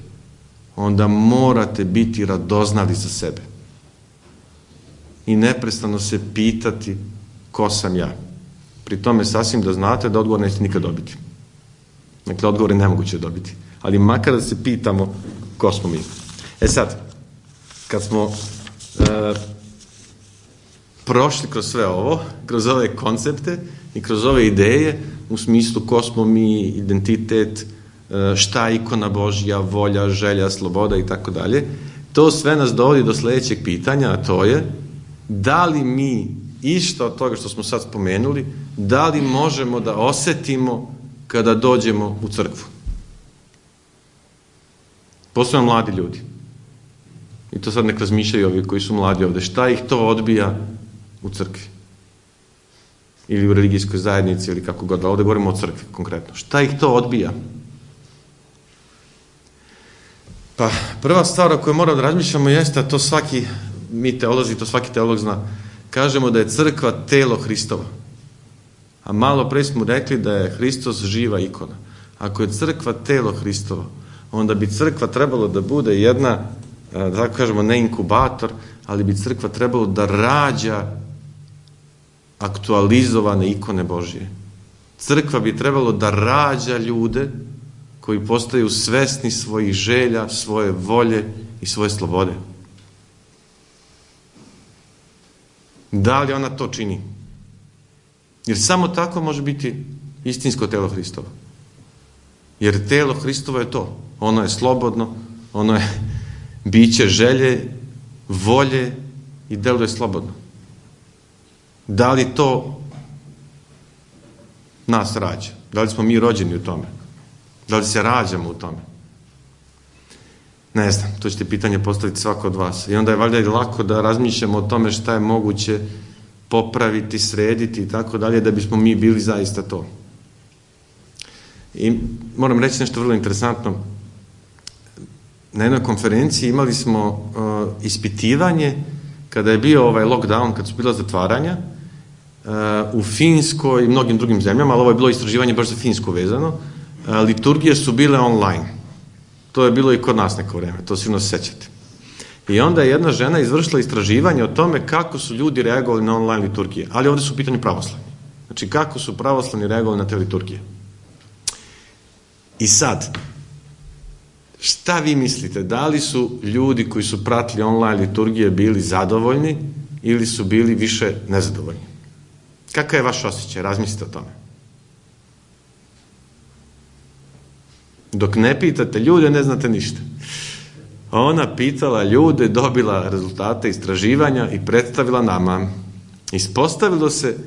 onda morate biti radoznali za sebe. I neprestano se pitati ko sam ja. Pri tome sasvim da znate da odgovor nećete nikad dobiti. Dakle, odgovor je nemoguće dobiti. Ali makar da se pitamo ko smo mi. Sad, kad smo prošli kroz sve ovo, kroz ove koncepte i kroz ove ideje u smislu ko smo mi, identitet, šta je ikona Božja, volja, želja, sloboda i tako dalje. To sve nas dovodi do sljedećeg pitanja, a to je da li mi išta od toga što smo sad spomenuli, da li možemo da osetimo kada dođemo u crkvu. Posebno mladi ljudi. I to sad nek razmišljaju ovi koji su mladi ovde. Šta ih to odbija u crkvi? Ili u religijskoj zajednici, ili kako god. Ovde govorimo o crkvi konkretno. Šta ih to odbija? Pa, prva stvar o kojoj moramo da razmišljamo jeste, a to svaki mi teolozi, to svaki teolog zna, kažemo da je crkva telo Hristova. A malo pre smo rekli da je Hristos živa ikona. Ako je crkva telo Hristova, onda bi crkva trebalo da bude jedna, da tako kažemo, ne inkubator, ali bi crkva trebalo da rađa aktualizovane ikone Božije. Crkva bi trebalo da rađa ljude koji postaju svesni svojih želja, svoje volje i svoje slobode. Da li ona to čini? Jer samo tako može biti istinsko telo Hristovo. Jer telo Hristovo je to. Ono je slobodno, ono je biće želje, volje i deluje slobodno. Da li to nas rađa? Da li smo mi rođeni u tome? Da li se rađamo u tome? Ne znam, to ćete pitanje postaviti svako od vas. I onda je valjda i lako da razmišljamo o tome šta je moguće popraviti, srediti i tako dalje, da bismo mi bili zaista to. I moram reći nešto vrlo interesantno. Na jednoj konferenciji imali smo ispitivanje kada je bio ovaj lockdown, kad su bila zatvaranja, u Finskoj i mnogim drugim zemljama, ali ovo je bilo istraživanje baš za Finsku vezano, liturgije su bile online. To je bilo i kod nas neko vreme, to sigurno se sećate. I onda je jedna žena izvršila istraživanje o tome kako su ljudi reagovali na online liturgije, ali ovdje su u pitanju pravoslavni. Znači, kako su pravoslavni reagovali na te liturgije. I sad, šta vi mislite, da li su ljudi koji su pratili online liturgije bili zadovoljni ili su bili više nezadovoljni? Kakav je vaš osjećaj? Razmislite o tome. Dok ne pitate ljude, ne znate ništa. Ona pitala ljude, dobila rezultate istraživanja i predstavila nama. Ispostavilo se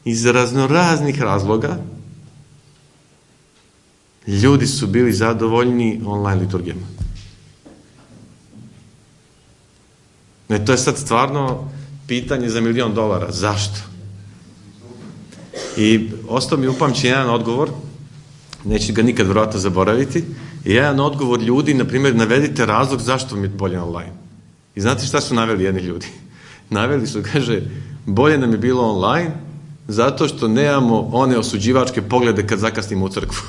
iz raznoraznih razloga ljudi su bili zadovoljni online liturgijama. Ne, to je sad stvarno pitanje za $1.000.000. Zašto? I ostao mi upamćen jedan odgovor, neću ga nikad vjerojatno zaboraviti, jedan odgovor ljudi, na primjer, navedite razlog zašto mi je bolje online. I znate šta su naveli jedni ljudi? Naveli su, kaže, bolje nam je bilo online zato što nemamo one osuđivačke poglede kad zakasnimo u crkvu.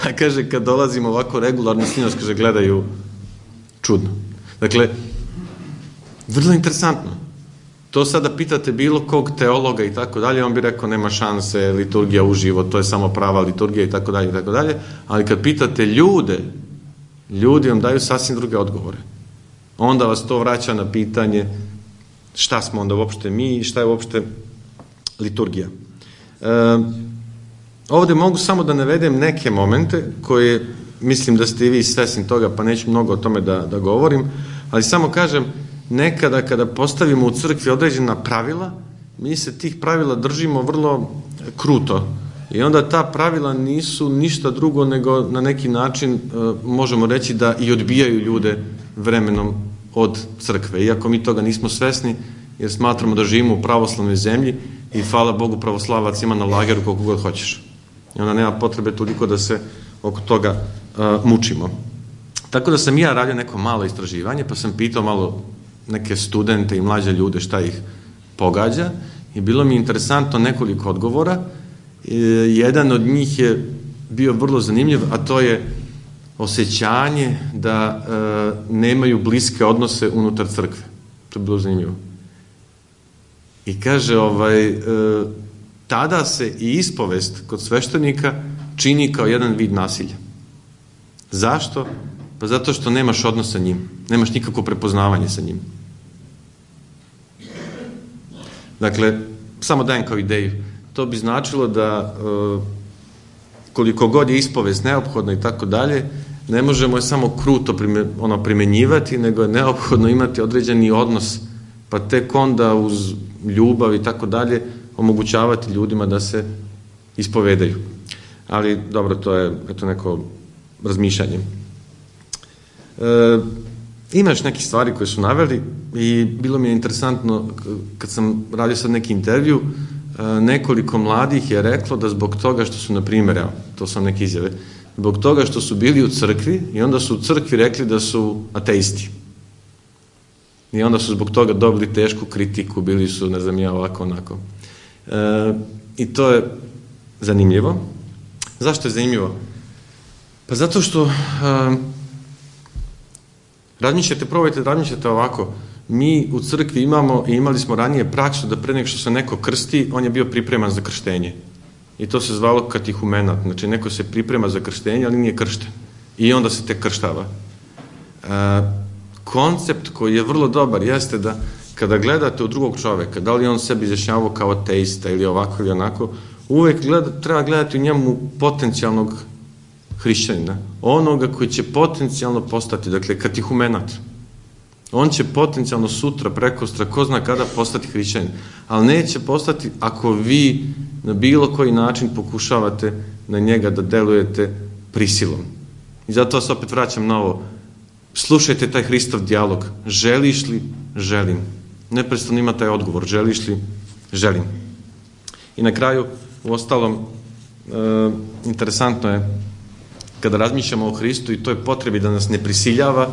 A kaže, kad dolazimo ovako regularno s njima, kaže, gledaju čudno. Dakle, vrlo interesantno. To sada pitate bilo kog teologa i tako dalje, on bi rekao nema šanse, liturgija uživo, to je samo prava liturgija i tako dalje, ali kad pitate ljude, ljudi vam daju sasvim druge odgovore. Onda vas to vraća na pitanje šta smo onda uopšte mi i šta je uopšte liturgija. Ovdje mogu samo da navedem neke momente koje mislim da ste i vi svesni toga, pa neću mnogo o tome da govorim, ali samo kažem, nekada kada postavimo u crkvi određena pravila, mi se tih pravila držimo vrlo kruto. I onda ta pravila nisu ništa drugo nego na neki način možemo reći da i odbijaju ljude vremenom od crkve. Iako mi toga nismo svesni, jer smatramo da živimo u pravoslavnoj zemlji i hvala Bogu pravoslavac ima na lageru koliko god hoćeš. I onda nema potrebe toliko da se oko toga mučimo. Tako da sam ja radio neko malo istraživanje, pa sam pitao malo neke studente i mlađe ljude šta ih pogađa i bilo mi interesantno nekoliko odgovora. Jedan od njih je bio vrlo zanimljiv, a to je osjećanje da nemaju bliske odnose unutar crkve. To je bilo zanimljivo. I kaže, tada se i ispovest kod sveštenika čini kao jedan vid nasilja. Zašto? Pa zato što nemaš odnos sa njim. Nemaš nikakvo prepoznavanje sa njim. Dakle, samo dajem kao ideju. To bi značilo da koliko god je ispovest neophodno i tako dalje, ne možemo je samo kruto primenjivati, nego je neophodno imati određeni odnos, pa tek onda uz ljubav i tako dalje omogućavati ljudima da se ispovedaju. Ali dobro, to je neko razmišljanje. Ima još neke stvari koje su naveli i bilo mi je interesantno kad sam radio sad neki intervju, nekoliko mladih je reklo da zbog toga što su, na primjer, evo, to su neke izjave, zbog toga što su bili u crkvi i onda su u crkvi rekli da su ateisti. I onda su zbog toga dobili tešku kritiku, bili su, ne znam ja, ovako, onako. I to je zanimljivo. Zašto je zanimljivo? Pa zato što probajte razmišljate ovako. Mi u crkvi imamo i imali smo ranije praksu da pre nego što se neko krsti, on je bio pripreman za krštenje. I to se zvalo katehumenat. Znači, neko se priprema za krštenje, ali nije kršten. I onda se tek krštava. Koncept koji je vrlo dobar jeste da kada gledate u drugog čoveka, da li on sebi izjašnjavao kao ateista ili ovako ili onako, uvek treba gledati u njemu potencijalnog hrišćanina. Onoga koji će potencijalno postati, dakle, katehumenat. On će potencijalno sutra, prekostra, ko zna kada postati hrišćanin. Ali neće postati ako vi na bilo koji način pokušavate na njega da delujete prisilom. I zato vas opet vraćam na ovo. Slušajte taj Hristov dijalog. Želiš li? Želim. Neprestano ima taj odgovor. Želiš li? Želim. I na kraju, uostalom, interesantno je kada razmišljamo o Hristu i toj potrebi da nas ne prisiljava,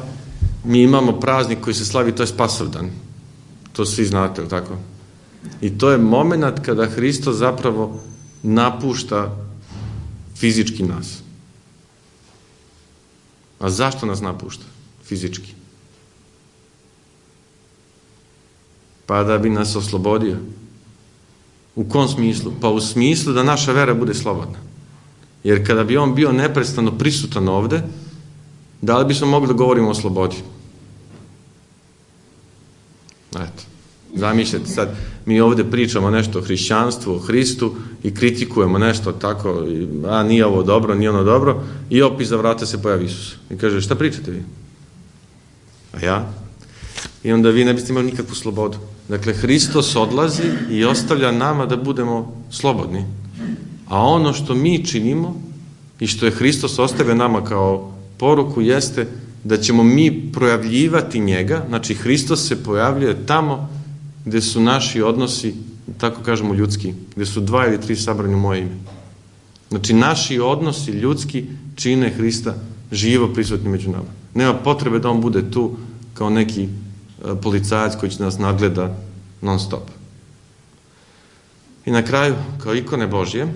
mi imamo praznik koji se slavi, to je Spasovdan. To svi znate, ili tako? I to je moment kada Hristos zapravo napušta fizički nas. A zašto nas napušta fizički? Pa da bi nas oslobodio. U kom smislu? Pa u smislu da naša vera bude slobodna. Jer kada bi on bio neprestano prisutan ovde, da li bismo mogli da govorimo o slobodi? Eto, zamišljate sad, mi ovde pričamo nešto o hrišćanstvu, o Hristu i kritikujemo nešto tako, a nije ovo dobro, nije ono dobro, i opet iza vrata se pojavi Isus. I kaže, šta pričate vi? A ja? I onda vi ne biste imali nikakvu slobodu. Dakle, Hristos odlazi i ostavlja nama da budemo slobodni. A ono što mi činimo i što je Hristos ostavio nama kao poruku jeste da ćemo mi projavljivati njega, znači Hristos se pojavljuje tamo gde su naši odnosi, tako kažemo ljudski, gde su 2 ili 3 sabrani u moje ime. Znači naši odnosi ljudski čine Hrista živo prisutni među nama. Nema potrebe da on bude tu kao neki policajac koji će nas nadgleda non stop. I na kraju, kao ikone Božje,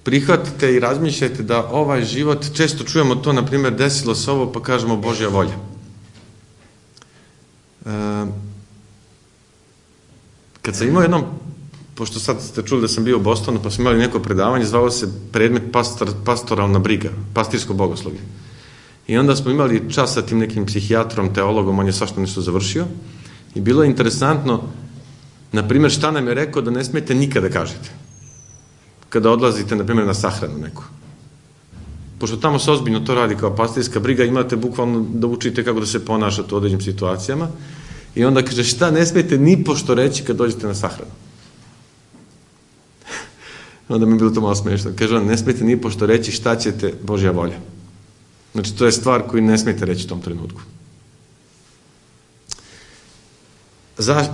prihvatite i razmišljajte da ovaj život, često čujemo to, na primjer, desilo se ovo, pa kažemo Božja volja. Kad sam imao jednom, pošto sad ste čuli da sam bio u Bostonu, pa smo imali neko predavanje, zvalo se predmet pastoralna briga, pastirsko bogoslovlje. I onda smo imali čas sa tim nekim psihijatrom, teologom, on je svašta nešto završio. I bilo je interesantno, na primjer, šta nam je rekao da ne smijete nikada kažete. Kada odlazite, na primjer, na sahranu neku. Pošto tamo se ozbiljno to radi kao pastirska briga, imate bukvalno da učite kako da se ponašate u određenim situacijama. I onda kaže, šta ne smijete ni pošto reći kad dođete na sahranu. Onda mi je bilo to malo smiješno. Kaže, ne smijete ni pošto reći šta ćete, Božja volja. Znači, to je stvar koju ne smijete reći u tom trenutku.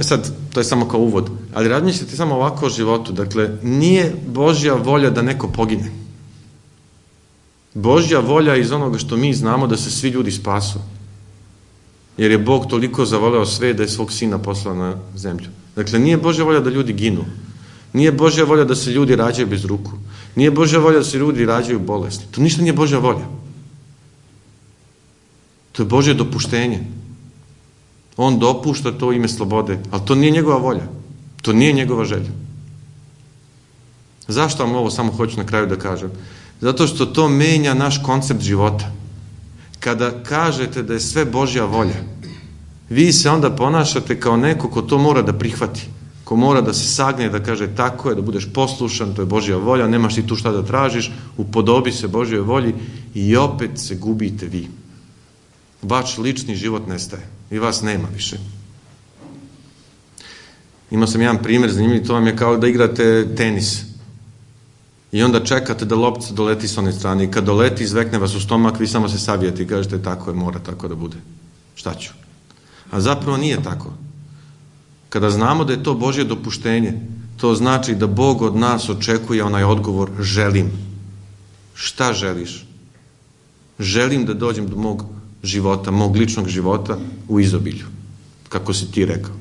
Sad, to je samo kao uvod, ali razmišljate samo ovako o životu. Dakle, nije Božja volja da neko pogine. Božja volja iz onoga što mi znamo da se svi ljudi spasu. Jer je Bog toliko zavoleo sve da je svog sina poslao na zemlju. Dakle, nije Božja volja da ljudi ginu. Nije Božja volja da se ljudi rađaju bez ruku. Nije Božja volja da se ljudi rađaju bolesni. To ništa nije Božja volja. To je Božje dopuštenje. On dopušta to ime slobode, ali to nije njegova volja. To nije njegova želja. Zašto vam ovo samo hoću na kraju da kažem? Zato što to menja naš koncept života. Kada kažete da je sve Božja volja, vi se onda ponašate kao neko ko to mora da prihvati, ko mora da se sagne, da kaže tako je, da budeš poslušan, to je Božja volja, nemaš ti tu šta da tražiš, upodobi se Božjoj volji i opet se gubite vi. Vaš lični život nestaje i vas nema više. Imao sam jedan primjer zanimljiv, to vam je kao da igrate tenis i onda čekate da loptica doleti s one strane i kad doleti izvekne vas u stomak, vi samo se savijete i kažete tako je, mora tako da bude. Šta ću? A zapravo nije tako. Kada znamo da je to Božje dopuštenje, to znači da Bog od nas očekuje onaj odgovor želim. Šta želiš? Želim da dođem do mog života, mog ličnog života u izobilju, kako si ti rekao.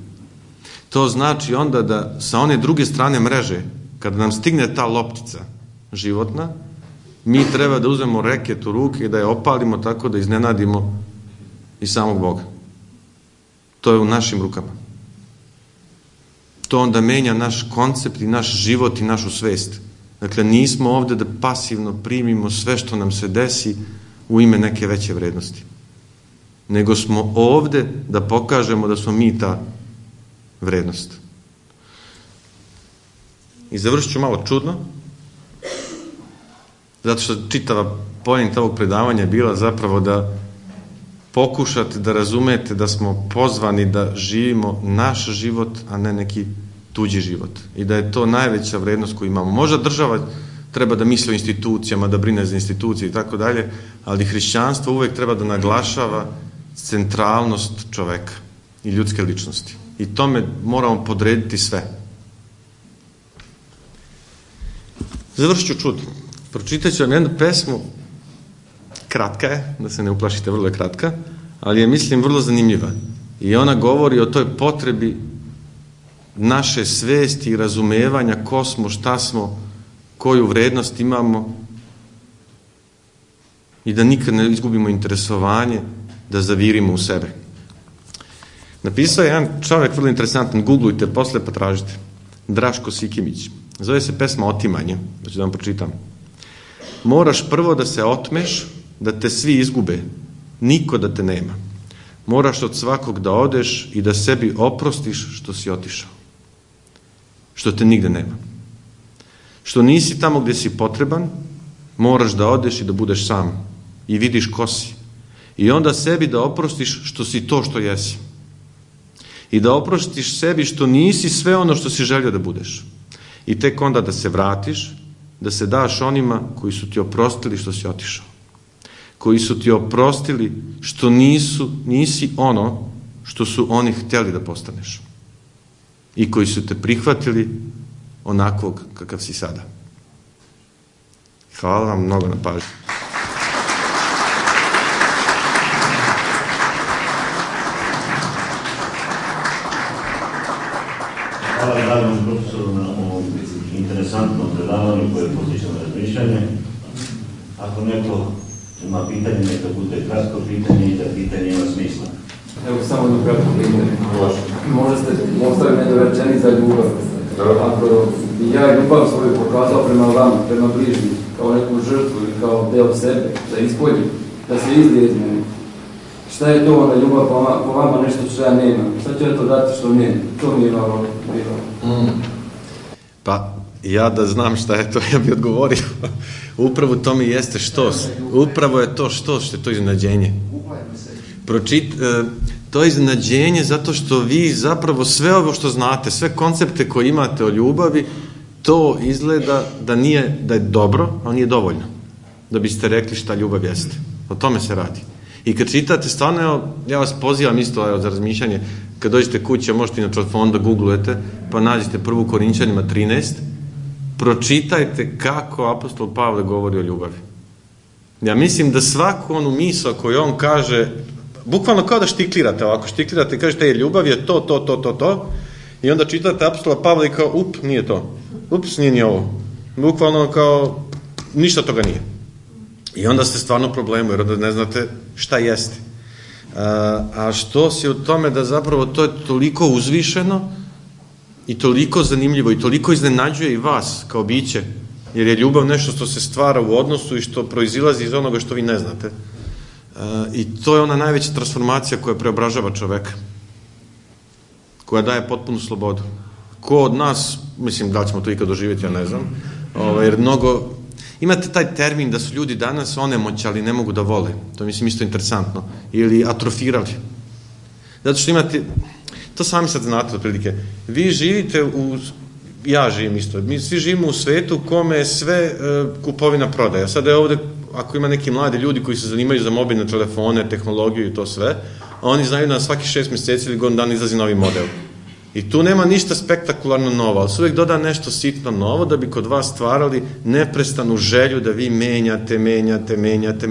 To znači onda da sa one druge strane mreže, kada nam stigne ta loptica životna, mi treba da uzmemo reket u ruke i da je opalimo tako da iznenadimo i samog Boga. To je u našim rukama. To onda menja naš koncept i naš život i našu svest. Dakle, nismo ovde da pasivno primimo sve što nam se desi u ime neke veće vrednosti. Nego smo ovde da pokažemo da smo mi ta vrednost. I završit ću malo čudno, zato što čitava poenta ovog predavanja je bila zapravo da pokušate da razumete da smo pozvani da živimo naš život, a ne neki tuđi život. I da je to najveća vrednost koju imamo. Možda država treba da misli o institucijama, da brine za institucije i tako dalje, ali hrišćanstvo uvek treba da naglašava centralnost čoveka i ljudske ličnosti. I tome moramo podrediti sve. Završit ću čudno. Pročitat ću vam jednu pesmu, kratka je, da se ne uplašite, vrlo je kratka, ali je, mislim, vrlo zanimljiva. I ona govori o toj potrebi naše svesti i razumevanja ko smo, šta smo, koju vrednost imamo i da nikad ne izgubimo interesovanje, da zavirimo u sebe. Napisao je jedan čovjek vrlo interesantan, googlujte posle pa tražite. Draško Sikimić. Zove se pesma Otimanje, da ću da vam pročitam. Moraš prvo da se otmeš, da te svi izgube, niko da te nema. Moraš od svakog da odeš i da sebi oprostiš što si otišao. Što te nigde nema. Što nisi tamo gdje si potreban, moraš da odeš i da budeš sam. I vidiš ko si. I onda sebi da oprostiš što si to što jesi. I da oprostiš sebi što nisi sve ono što si želio da budeš. I tek onda da se vratiš, da se daš onima koji su ti oprostili što si otišao. Koji su ti oprostili što nisi ono što su oni htjeli da postaneš. I koji su te prihvatili onakvog kakav si sada. Hvala vam mnogo na pažnju. Hvala dragom profesoru na ovom interesantnom predavanju koje postiče na razmišljanje. Ako neko ima pitanje, neka bude kratko pitanje i da pitanje ima smisla. Evo samo jedno kratko pitanje. Možda ste ostavili nedorečeni za ljubav. Ako bi ja ljubav svoju pokazao prema vama, prema bližnjim, kao neku žrtvu ili kao deo sebe, da ispoljim, da se izlije iz mene. Šta je to onda ljubav po vama, nešto što ja nemam? Šta ću ja to dati što nemam? To mi je malo bilo. Pa, ja da znam šta je to, ja bi odgovorio. Upravo to mi jeste štos. Upravo je to štos, što je to iznenađenje. To je iznenađenje zato što vi zapravo sve ovo što znate, sve koncepte koje imate o ljubavi, to izgleda da je dobro, ali nije dovoljno. Da biste rekli šta ljubav jeste. O tome se radi. I kad čitate, stvarno, ja vas pozivam isto za razmišljanje, kad dođete kuće, možete inače od fonda googlujete, pa nađete 1. Korinćanima 13, pročitajte kako apostol Pavle govori o ljubavi. Ja mislim da svaku onu misao koju on kaže, bukvalno kao da štiklirate ovako, štiklirate i kažete, ljubav je to, i onda čitate apostola Pavla i kao, nije to. Nije ni ovo. Bukvalno kao, ništa toga nije. I onda ste stvarno u problemu, jer onda ne znate šta jeste. A što si u tome da zapravo to je toliko uzvišeno i toliko zanimljivo i toliko iznenađuje i vas kao biće, jer je ljubav nešto što se stvara u odnosu i što proizilazi iz onoga što vi ne znate. I to je ona najveća transformacija koja preobražava čoveka. koja daje potpunu slobodu. Ko od nas, mislim, da li ćemo to ikad doživjeti, ja ne znam, jer mnogo, imate taj termin da su ljudi danas onemoćali, ne mogu da vole, to je, mislim, isto interesantno, ili atrofirali. Zato što imate, to sami sad znate otprilike, vi živite ja živim isto, mi svi živimo u svetu u kome je sve kupovina prodaja. Sada je ovde, ako ima neki mladi ljudi koji se zanimaju za mobilne telefone, tehnologiju i to sve, oni znaju da na svaki 6 mjeseci ili godinu dana izlazi novi model. I tu nema ništa spektakularno novo, ali se uvijek doda nešto sitno novo da bi kod vas stvarali neprestanu želju da vi menjate,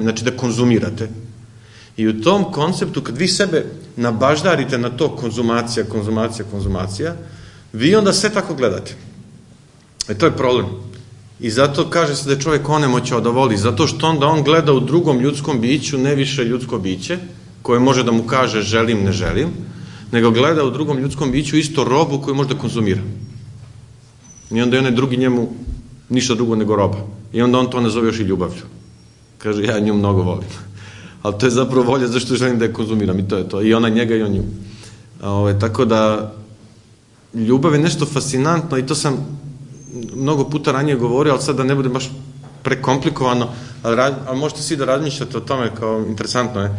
znači da konzumirate. I u tom konceptu, kad vi sebe nabaždarite na to konzumacija, vi onda sve tako gledate. E to je problem. I zato kaže se da je čovjek onemoćao da voli, zato što onda on gleda u drugom ljudskom biću, ne više ljudsko biće, koje može da mu kaže želim, ne želim, nego gleda u drugom ljudskom biću isto robu koju može da konzumira. I onda je onaj drugi njemu ništa drugo nego roba. I onda on to nazove još i ljubavlju. Kaže, ja nju mnogo volim. Ali to je zapravo volja zašto želim da je konzumiram i to je to. I ona njega i on nju. Tako da, ljubav je nešto fascinantno i to sam mnogo puta ranije govorio, ali sad da ne bude baš prekomplikovano, ali možete svi da razmišljate o tome kao interesantno je.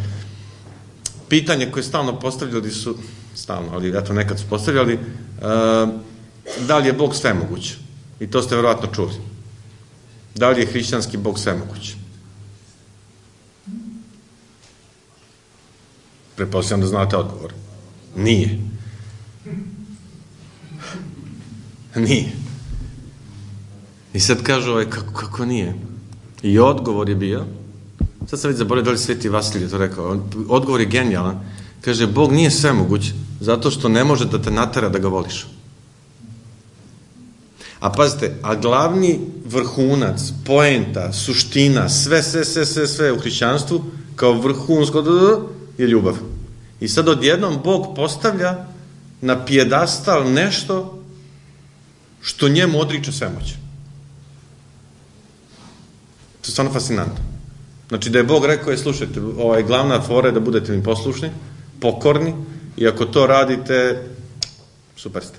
Pitanje koje stalno postavljali su, ali eto nekad su postavljali, da li je Bog svemoguć? I to ste verovatno čuli. Da li je hrišćanski Bog svemoguć? Pretpostavljam da znate odgovor. Nije. Nije. I sad kažu kako nije? I odgovor je bio, sad sam već zaboravio da li Sveti Vasilije to rekao, odgovor je genijalan, kaže, Bog nije svemoguć zato što ne može da te natera da ga voliš. A pazite, a glavni vrhunac, poenta, suština, sve u hrišćanstvu, kao vrhunsko je ljubav. I sad odjednom Bog postavlja na pijedastal nešto što njemu odriče svemoć. To je stvarno fascinantno. Znači da je Bog rekao, slušajte, glavna fora je da budete mi poslušni, pokorni, i ako to radite, super ste.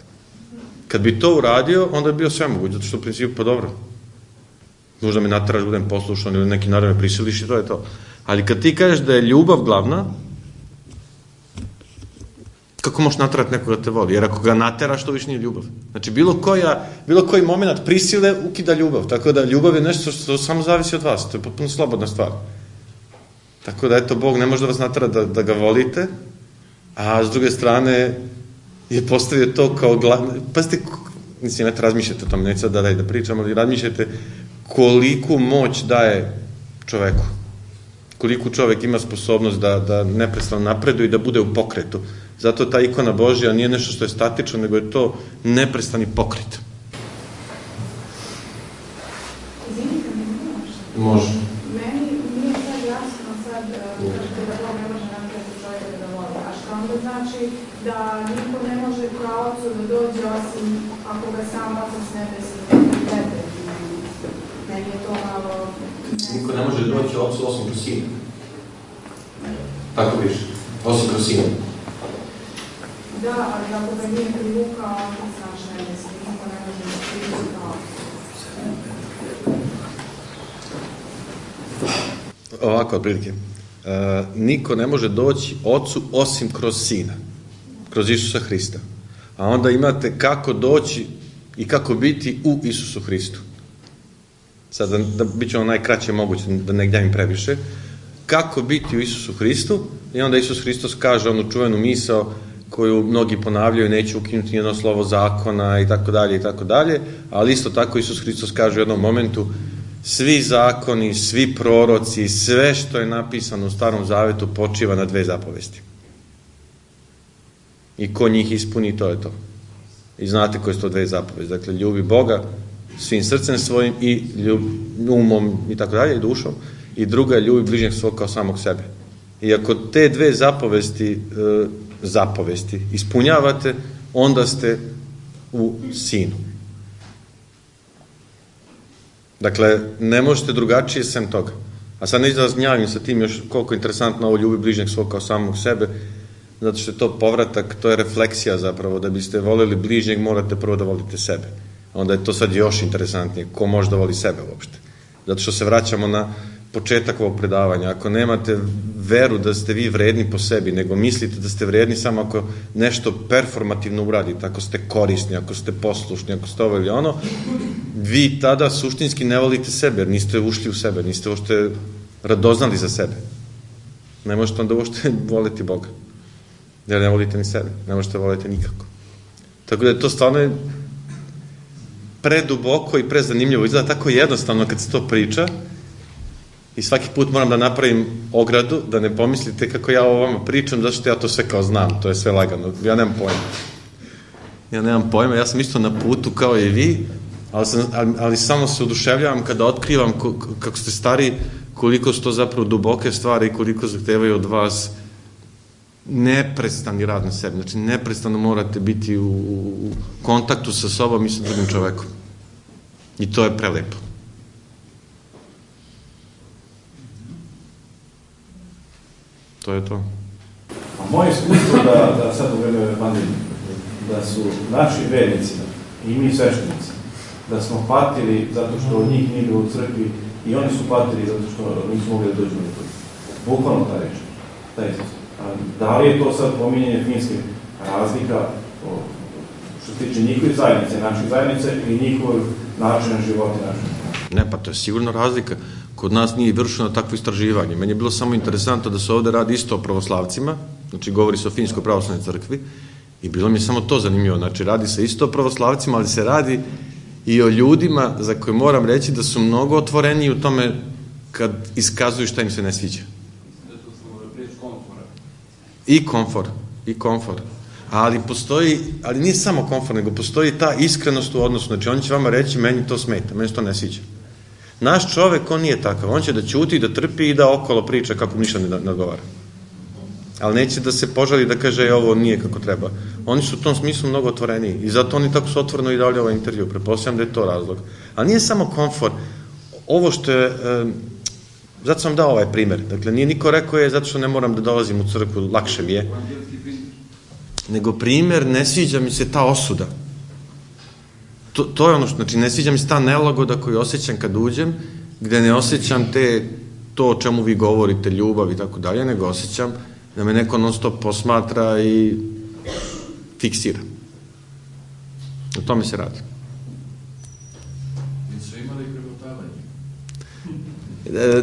Kad bi to uradio, onda bi bio svemoguć, zato što u principu, pa dobro, možda me nateraš da budem poslušan ili neki narod me prisiliš i to je to. Ali kad ti kažeš da je ljubav glavna, kako možeš naterati nekoga da te voli? Jer ako ga nateraš, to više nije ljubav. Znači, bilo koji moment prisile ukida ljubav. Tako da ljubav je nešto što samo zavisi od vas. To je potpuno slobodna stvar. Tako da, eto, Bog ne može da vas natera da ga volite, a s druge strane je postavio to kao glavno. Pazite, mislim, eto, razmišljate o tom, neću sad da pričam, ali razmišljate koliku moć daje čoveku. Koliko čovek ima sposobnost da neprestano napreduje i da bude u pokretu. Zato ta ikona Božja nije nešto što je statično, nego je to neprestani pokret. Izvinite mi, može. Meni nije sad jasno sad da Bog ne može napraviti čovjeka da voli. A što onda znači da niko ne može kao ocu da dođe osim ako ga sam otac ne desi tebe. Meni je to malo... Niko ne može doći ocu osim kroz sina. Tako piše. Osim kroz sina. Da, ali ako ga nije privukao, znaš, ne mislim, niko ne može da privukao. Ovako, otprilike. Niko ne može doći ocu osim kroz sina. Kroz Isusa Hrista. A onda imate kako doći i kako biti u Isusu Hristu. Sad, da bit će ono najkraće moguće, da ne gnjavim previše. Kako biti u Isusu Hristu? I onda Isus Hristos kaže onu čuvenu misao koju mnogi ponavljaju, neće ukinuti nijedno slovo zakona i tako dalje, ali isto tako Isus Hristos kaže u jednom momentu, svi zakoni, svi proroci, sve što je napisano u Starom Zavetu počiva na 2 zapovesti. I ko njih ispuni, to je to. I znate koje su to 2 zapovesti. Dakle, ljubi Boga svim srcem svojim i umom i tako dalje, i dušom. I druga je ljubi bližnjeg svog kao samog sebe. I ako te 2 zapovesti ispunjavate, onda ste u sinu. Dakle, ne možete drugačije sem toga. A sad neću da vas gnjavim sa tim još koliko je interesantno ovo ljubi bližnjeg svog kao samog sebe. zato što je to povratak, to je refleksija zapravo, da biste volili bližnjeg, morate prvo da volite sebe. Onda je to sad još interesantnije, ko može da voli sebe uopšte. Zato što se vraćamo na početak ovog predavanja. Ako nemate veru da ste vi vredni po sebi, nego mislite da ste vredni samo ako nešto performativno uradite, ako ste korisni, ako ste poslušni, ako ste ovo ili ono, vi tada suštinski ne volite sebe, jer niste ušli u sebe, niste uopšte radoznali za sebe. Ne možete onda uopšte voliti Boga. Jer ne volite ni sebe, ne možete voliti nikako. Tako da je to stvarno preduboko i prezanimljivo. Izgleda tako jednostavno kad se to priča i svaki put moram da napravim ogradu, da ne pomislite kako ja o vama pričam, zato što ja to sve kao znam, to je sve lagano. Ja nemam pojma, ja sam isto na putu kao i vi, ali samo se oduševljavam kada otkrivam kako ste stari, koliko su to zapravo duboke stvari i koliko zahtevaju od vas neprestani rad na sebi. Znači, neprestano morate biti u kontaktu sa sobom i sa drugim čovekom. I to je prelepo. To je to. A moje iskustvo da sad u vreme pandemije, da su naši vernici i mi sveštenici, da smo patili zato što od njih nije bilo u crkvi i oni su patili zato što nisu mogli da dođu na to. Bukvalno ta reč. Ta Isus. Da li je to sad pominjanje Finjske razlika što se tiče njihove zajednice, naših zajednice ili njihov način života našeg? Ne, pa to je sigurno razlika. Kod nas nije vršeno takvo istraživanje. Meni je bilo samo interesantno da se ovde radi isto o pravoslavcima, znači govori se o Finjskoj pravoslavnoj crkvi, i bilo mi je samo to zanimljivo. Znači, radi se isto o pravoslavcima, ali se radi i o ljudima za koje moram reći da su mnogo otvoreniji u tome kad iskazuju šta im se ne sviđa. I komfor. Ali nije samo komfor, nego postoji ta iskrenost u odnosu. Znači, on će vama reći, meni to smeta, meni to ne sviđa. Naš čovek, on nije takav. On će da ćuti, da trpi i da okolo priča kako ništa ne odgovara. Ali neće da se požali da kaže ovo nije kako treba. Oni su u tom smislu mnogo otvoreniji i zato oni tako su otvoreno i dali ovaj intervju. Pretpostavljam da je to razlog. Ali nije samo komfor. Ovo što je... Zato sam dao ovaj primer. Dakle, nije niko rekao je zato što ne moram da dolazim u crkvu, lakše mi je. Nego primer, ne sviđa mi se ta osuda. To je ono što, znači, ne sviđa mi se ta nelagoda koju osjećam kad uđem, gde ne osjećam to o čemu vi govorite, ljubav i tako dalje, nego osjećam da me neko non stop posmatra i fiksira. O tome se radi. Nisu imali pregotavanje?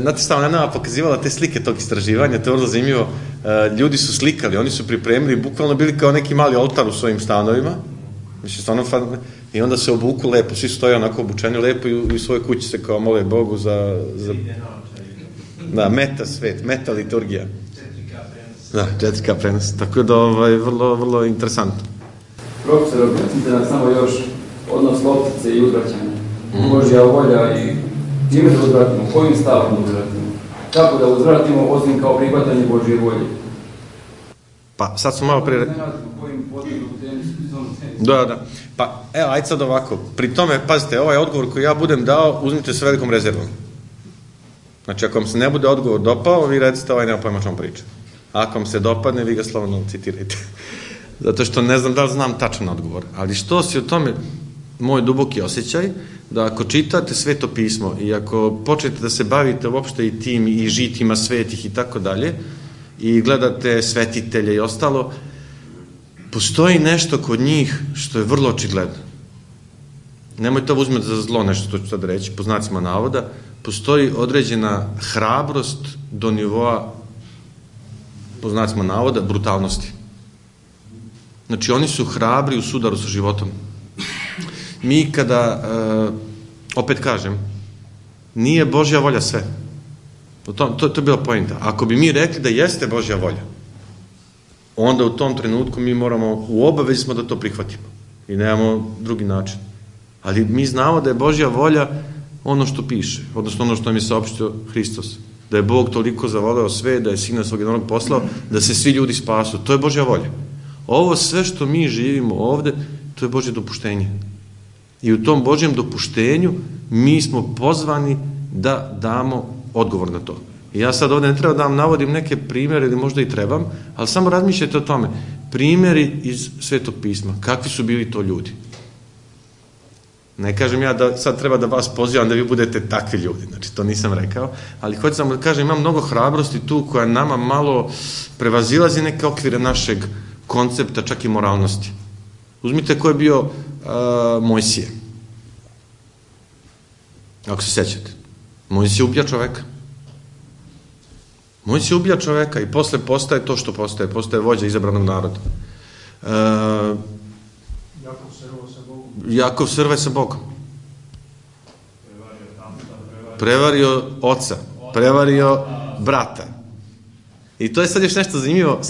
Znate šta, ona nama pokazivala te slike tog istraživanja, to je vrlo zanimljivo. Ljudi su slikali, oni su pripremili, bukvalno bili kao neki mali oltar u svojim stanovima, i onda se obuku lepo, svi stoje onako obučeni lepo i u svojoj kući se kao mole Bogu za meta svet, meta liturgija. 4K prenos. Tako da, vrlo, vrlo interesantno. Profesor, objasnite nam samo još odnos loptice i uzvraćanja. Božja volja i čime da uzvratimo, kojim stavom da uzvratimo. Kako da uzvratimo, osim kao prihvatanje Božje volje. Pa, sad smo malo prije... Da. Pa, evo, ajde sad ovako. Pri tome, pazite, ovaj odgovor koji ja budem dao, uzmite sa velikom rezervom. Znači, ako vam se ne bude odgovor dopao, vi recite nema pojma o čemu priča. Ako vam se dopadne, vi ga slobodno citirajte. Zato što ne znam da li znam tačan odgovor. Ali što si o tome, moj duboki osjećaj, da ako čitate Sveto pismo i ako počnete da se bavite uopšte i tim i žitima svetih i tako dalje, i gledate svetitelje i ostalo, postoji nešto kod njih što je vrlo očigledno. Nemojte to uzmeti za zlo nešto, to ću sad reći, po znacima navoda. Postoji određena hrabrost do nivoa, po znacima navoda, brutalnosti. Znači, oni su hrabri u sudaru sa životom. Mi kada, opet kažem, nije Božja volja sve. To je bila pointa. Ako bi mi rekli da jeste Božja volja, onda u tom trenutku mi moramo, u obavezi smo da to prihvatimo. I nemamo drugi način. Ali mi znamo da je Božja volja ono što piše, odnosno ono što nam je saopštio Hristos. Da je Bog toliko zavoleo sve, da je Sina svog jednog poslao, da se svi ljudi spasu. To je Božja volja. Ovo sve što mi živimo ovde, to je Božje dopuštenje. I u tom Božjem dopuštenju mi smo pozvani da damo odgovor na to. I ja sad ovdje ne treba da vam navodim neke primjere, ili možda i trebam, ali samo razmišljajte o tome. Primjeri iz Svetog pisma. Kakvi su bili to ljudi? Ne kažem ja da sad treba da vas pozivam da vi budete takvi ljudi, znači to nisam rekao, ali hoću samo da kažem, ima mnogo hrabrosti tu koja nama malo prevazilazi neke okvire našeg koncepta, čak i moralnosti. Uzmite ko je bio Mojsije. Ako se sećate. Mojsije ubija čoveka. Mojsije ubija čoveka i posle postaje to što postaje. Postaje vođa izabranog naroda. Jakov srve sa Bogom. Prevario oca. Prevario brata. I to je sad još nešto zanimljivo.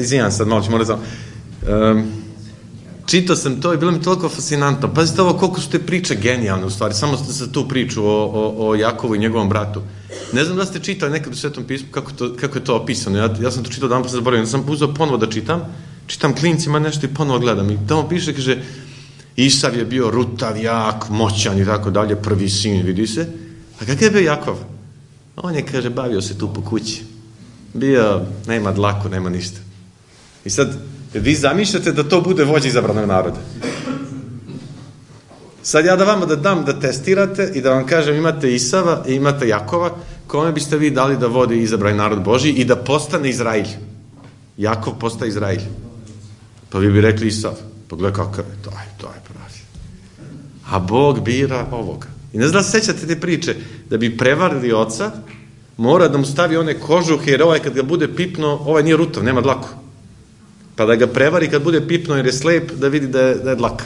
Izvinjam sad, malo ću morat samo. Čitao sam to i bilo mi toliko fascinantno. Pazite ovo koliko su te priče genijalne u stvari. Samo za tu priču o Jakovu i njegovom bratu. Ne znam da ste čitali nekad u Svetom pismu kako je to opisano. Ja sam to čitao dan pa se zaboravio. Sam uzeo ponovo da čitam klincima nešto i ponovo gledam. I tamo piše, kaže, Isav je bio rutav, jak, moćan i tako dalje, prvi sin, vidi se. A kakav je bio Jakov? On je, kaže, bavio se tu po kući. Bio, nema dlaku, nema ništa. I sad, vi zamišljate da to bude vođa izabranog naroda. Sad ja da vama da dam da testirate i da vam kažem imate Isava i imate Jakova, kome biste vi dali da vodi izabrani narod Božji i da postane Izrail? Jakov postaje Izrail. Pa vi bi rekli Isav. Pogledaj kakav je, to je pravi. A Bog bira ovoga. I ne znam da se sećate te priče, da bi prevarili oca, mora da mu stavi one kožuhe, jer ovaj kad ga bude pipno, ovaj nije rutav, nema dlaku. Pa da ga prevari kad bude pipno jer je slep, da vidi da je dlaka.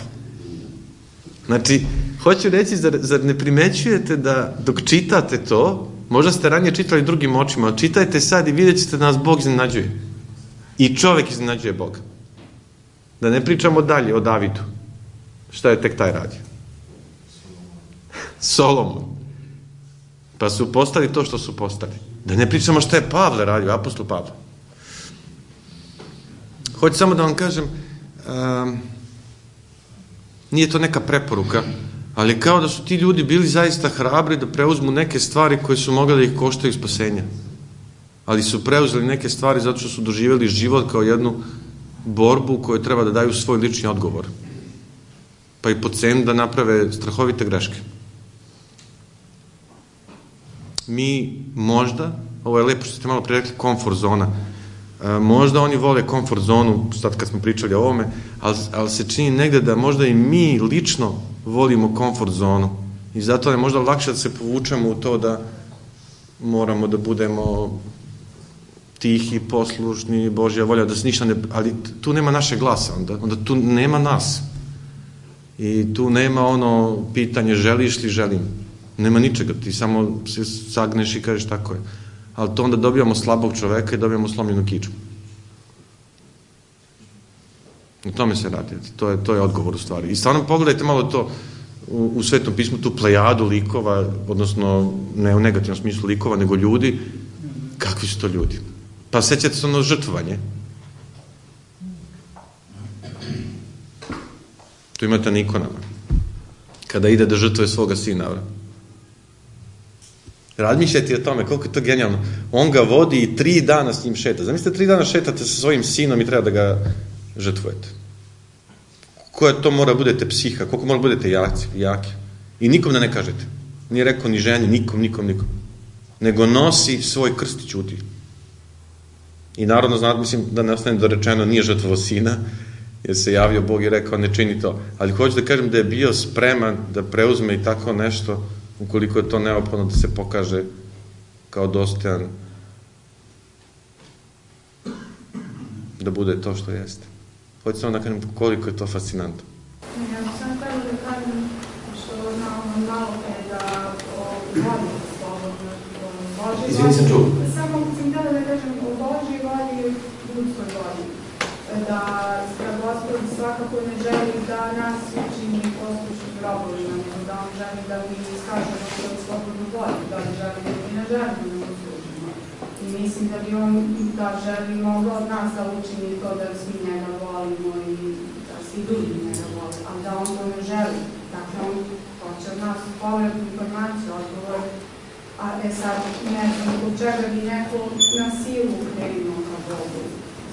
Znači, hoću reći, zar ne primećujete da dok čitate to, možda ste ranije čitali drugim očima, ali čitajte sad i vidjet ćete da nas Bog iznenađuje. I čovek iznenađuje Boga. Da ne pričamo dalje o Davidu. Šta je tek taj radio? Solomon. Pa su postali to što su postali. Da ne pričamo šta je Pavle radio, apostol Pavle. Hoću samo da vam kažem, nije to neka preporuka, ali kao da su ti ljudi bili zaista hrabri da preuzmu neke stvari koje su mogli da ih koštaju spasenja. Ali su preuzeli neke stvari zato što su doživjeli život kao jednu borbu koju treba da daju svoj lični odgovor. Pa i po cenu da naprave strahovite greške. Mi možda, ovo je lepo što ste malo prije rekli, komfort zona. Možda oni vole komfort zonu, sad kad smo pričali o ovome, ali se čini negde da možda i mi lično volimo komfort zonu. I zato je možda lakše da se povučemo u to da moramo da budemo tihi, poslušni, Božja volja, da se ništa ne... Ali tu nema naše glasa, onda tu nema nas. I tu nema ono pitanje želiš li, želim. Nema ničega, ti samo se sagneš i kažeš tako je. Ali to onda dobijamo slabog čoveka i dobijamo slomljenu kičmu. O tome se radi. To je odgovor u stvari. I stvarno pogledajte malo to u Svetom pismu, tu plejadu likova, odnosno ne u negativnom smislu likova, nego ljudi. Kakvi su to ljudi? Pa sećate se ono žrtvovanje. Tu imate na ikonama. Kada ide da žrtvuje svoga sina. Razmišljajte o tome, koliko je to genijalno. On ga vodi i 3 dana s njim šeta. Zamislite, 3 dana šetate sa svojim sinom i treba da ga žrtvujete. Koja to mora budete psiha, koliko mora budete jaki. I nikom da ne kažete. Nije rekao ni ženi, nikom. Nego nosi svoj krst i ćuti. I narodno znate, mislim da ne ostane dorečeno, nije žrtvovao sina, jer se javio Bog i rekao ne čini to. Ali hoću da kažem da je bio spreman da preuzme i tako nešto, ukoliko je to neophodno da se pokaže kao dostojan da bude to što jeste. Hoću samo da kažem koliko je to fascinantno. Ja bih samo htjela da kažem što znamo malo da vodi slobodno Božji. Izvini sam čuo. Samo sam htjela da kažem o Božji vodi i ljudskoj vodi. Da Gospod svakako ne želi da nas učini poslušnim robovima, nego da on želi da mi iskažemo svoju slobodnu volju, da li želimo ili ne želimo da mu služimo. I mislim da bi on da želi mogao od nas da učini to da svi njega volimo i da svi drugi njega vole, ali da on to ne želi. Dakle, on hoće od nas povratnu informaciju, odgovor A sad, ne znam, zbog čega bi neko na silu krenuo ka Bogu,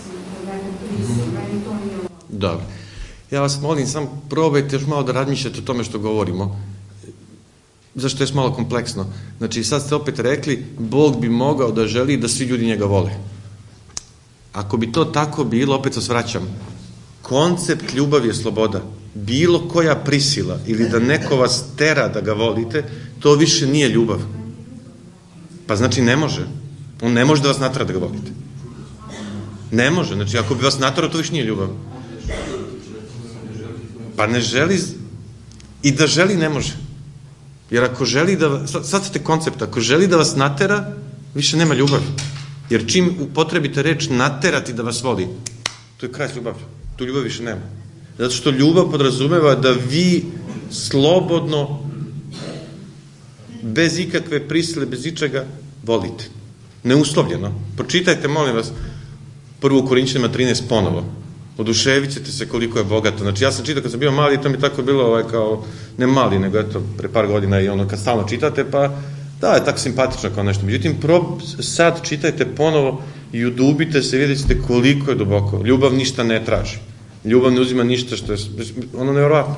zbog nekom prisilu, meni to nije ovo. Dobro. Ja vas molim, samo probajte još malo da razmišljate o tome što govorimo. Zašto je malo kompleksno? Znači, sad ste opet rekli, Bog bi mogao da želi da svi ljudi njega vole. Ako bi to tako bilo, opet se svraćam, koncept ljubavi je sloboda. Bilo koja prisila ili da neko vas tera da ga volite, to više nije ljubav. Pa znači ne može. On ne može da vas natera da ga volite. Ne može. Znači, ako bi vas natera, to više nije ljubav. Pa ne želi, i da želi ne može. Jer ako želi da, sad ste koncept, ako želi da vas natera, više nema ljubavi. Jer čim upotrebite reč naterati da vas voli, to je kraj s ljubavlju. Tu ljubav više nema. Zato što ljubav podrazumeva da vi slobodno, bez ikakve prisile, bez ičega, volite. Neuslovljeno. Pročitajte, molim vas, 1. Korinćanima 13 ponovo. Oduševit ćete se koliko je bogato. Znači, ja sam čitao kad sam bio mali, to mi tako bilo kao, ne mali, nego eto, pre par godina i ono, kad stalno čitate, pa da, je tako simpatično kao nešto. Međutim, sad čitajte ponovo i udubite se, vidjet ćete koliko je duboko. Ljubav ništa ne traži. Ljubav ne uzima ništa što je, ono nevjerovatno.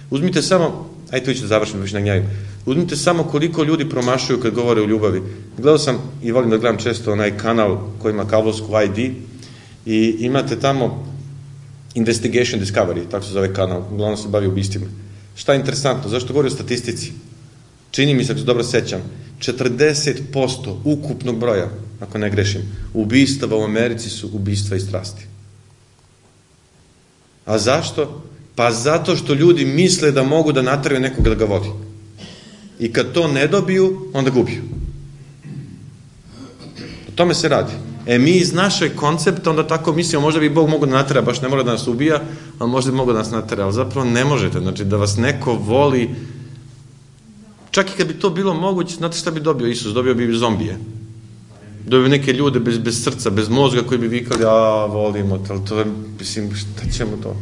Uzmite samo, ajde, tu ćete završiti, više na gnjaju. Uzmite samo koliko ljudi promašuju kad govore o ljubavi. Gledao sam i volim da gledam često onaj kanal koji ima kablovsku ID i imate tamo Investigation Discovery, tako se zove kanal, uglavnom se bavi ubistvima. Šta je interesantno? Zašto govori o statistici? Čini mi se, ako se dobro sećam, 40% ukupnog broja, ako ne grešim, ubistava u Americi su ubistva i strasti. A zašto? Pa zato što ljudi misle da mogu da nateraju nekoga da ga voli. I kad to ne dobiju, onda gubiju. O tome se radi. Mi iz našeg koncepta onda tako mislimo, možda bi Bog mogao da natera, baš ne mora da nas ubija, ali možda bi mogao da nas natera, ali zapravo ne možete. Znači, da vas neko voli, čak i kad bi to bilo moguće, znate šta bi dobio Isus? Dobio bi zombije. Dobio bi neke ljude bez srca, bez mozga koji bi vikali, volimo te, ali to je, mislim, šta ćemo to?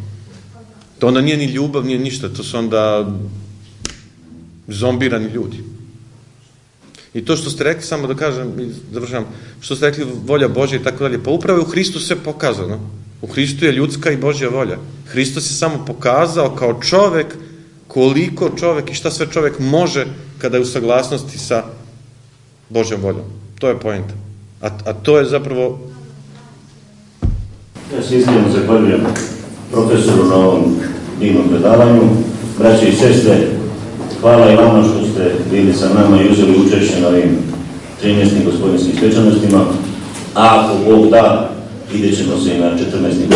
To onda nije ni ljubav, nije ništa, to su onda zombirani ljudi. I to što ste rekli, samo da kažem, završavam, što ste rekli volja Božja i tako dalje, pa upravo je u Hristu sve pokazano. U Hristu je ljudska i Božja volja. Hristos je samo pokazao kao čovek koliko čovek i šta sve čovek može kada je u saglasnosti sa Božjom voljom. To je poenta. A to je zapravo... Ja se iskreno zahvaljujem profesoru na ovom divnom predavanju. Braće i sestre, hvala i vama što ste bili sa nama i uzeli učešće na ovim 13. gospodinskim svečanostima. A ako Bog da, vidjet ćemo se i na 14.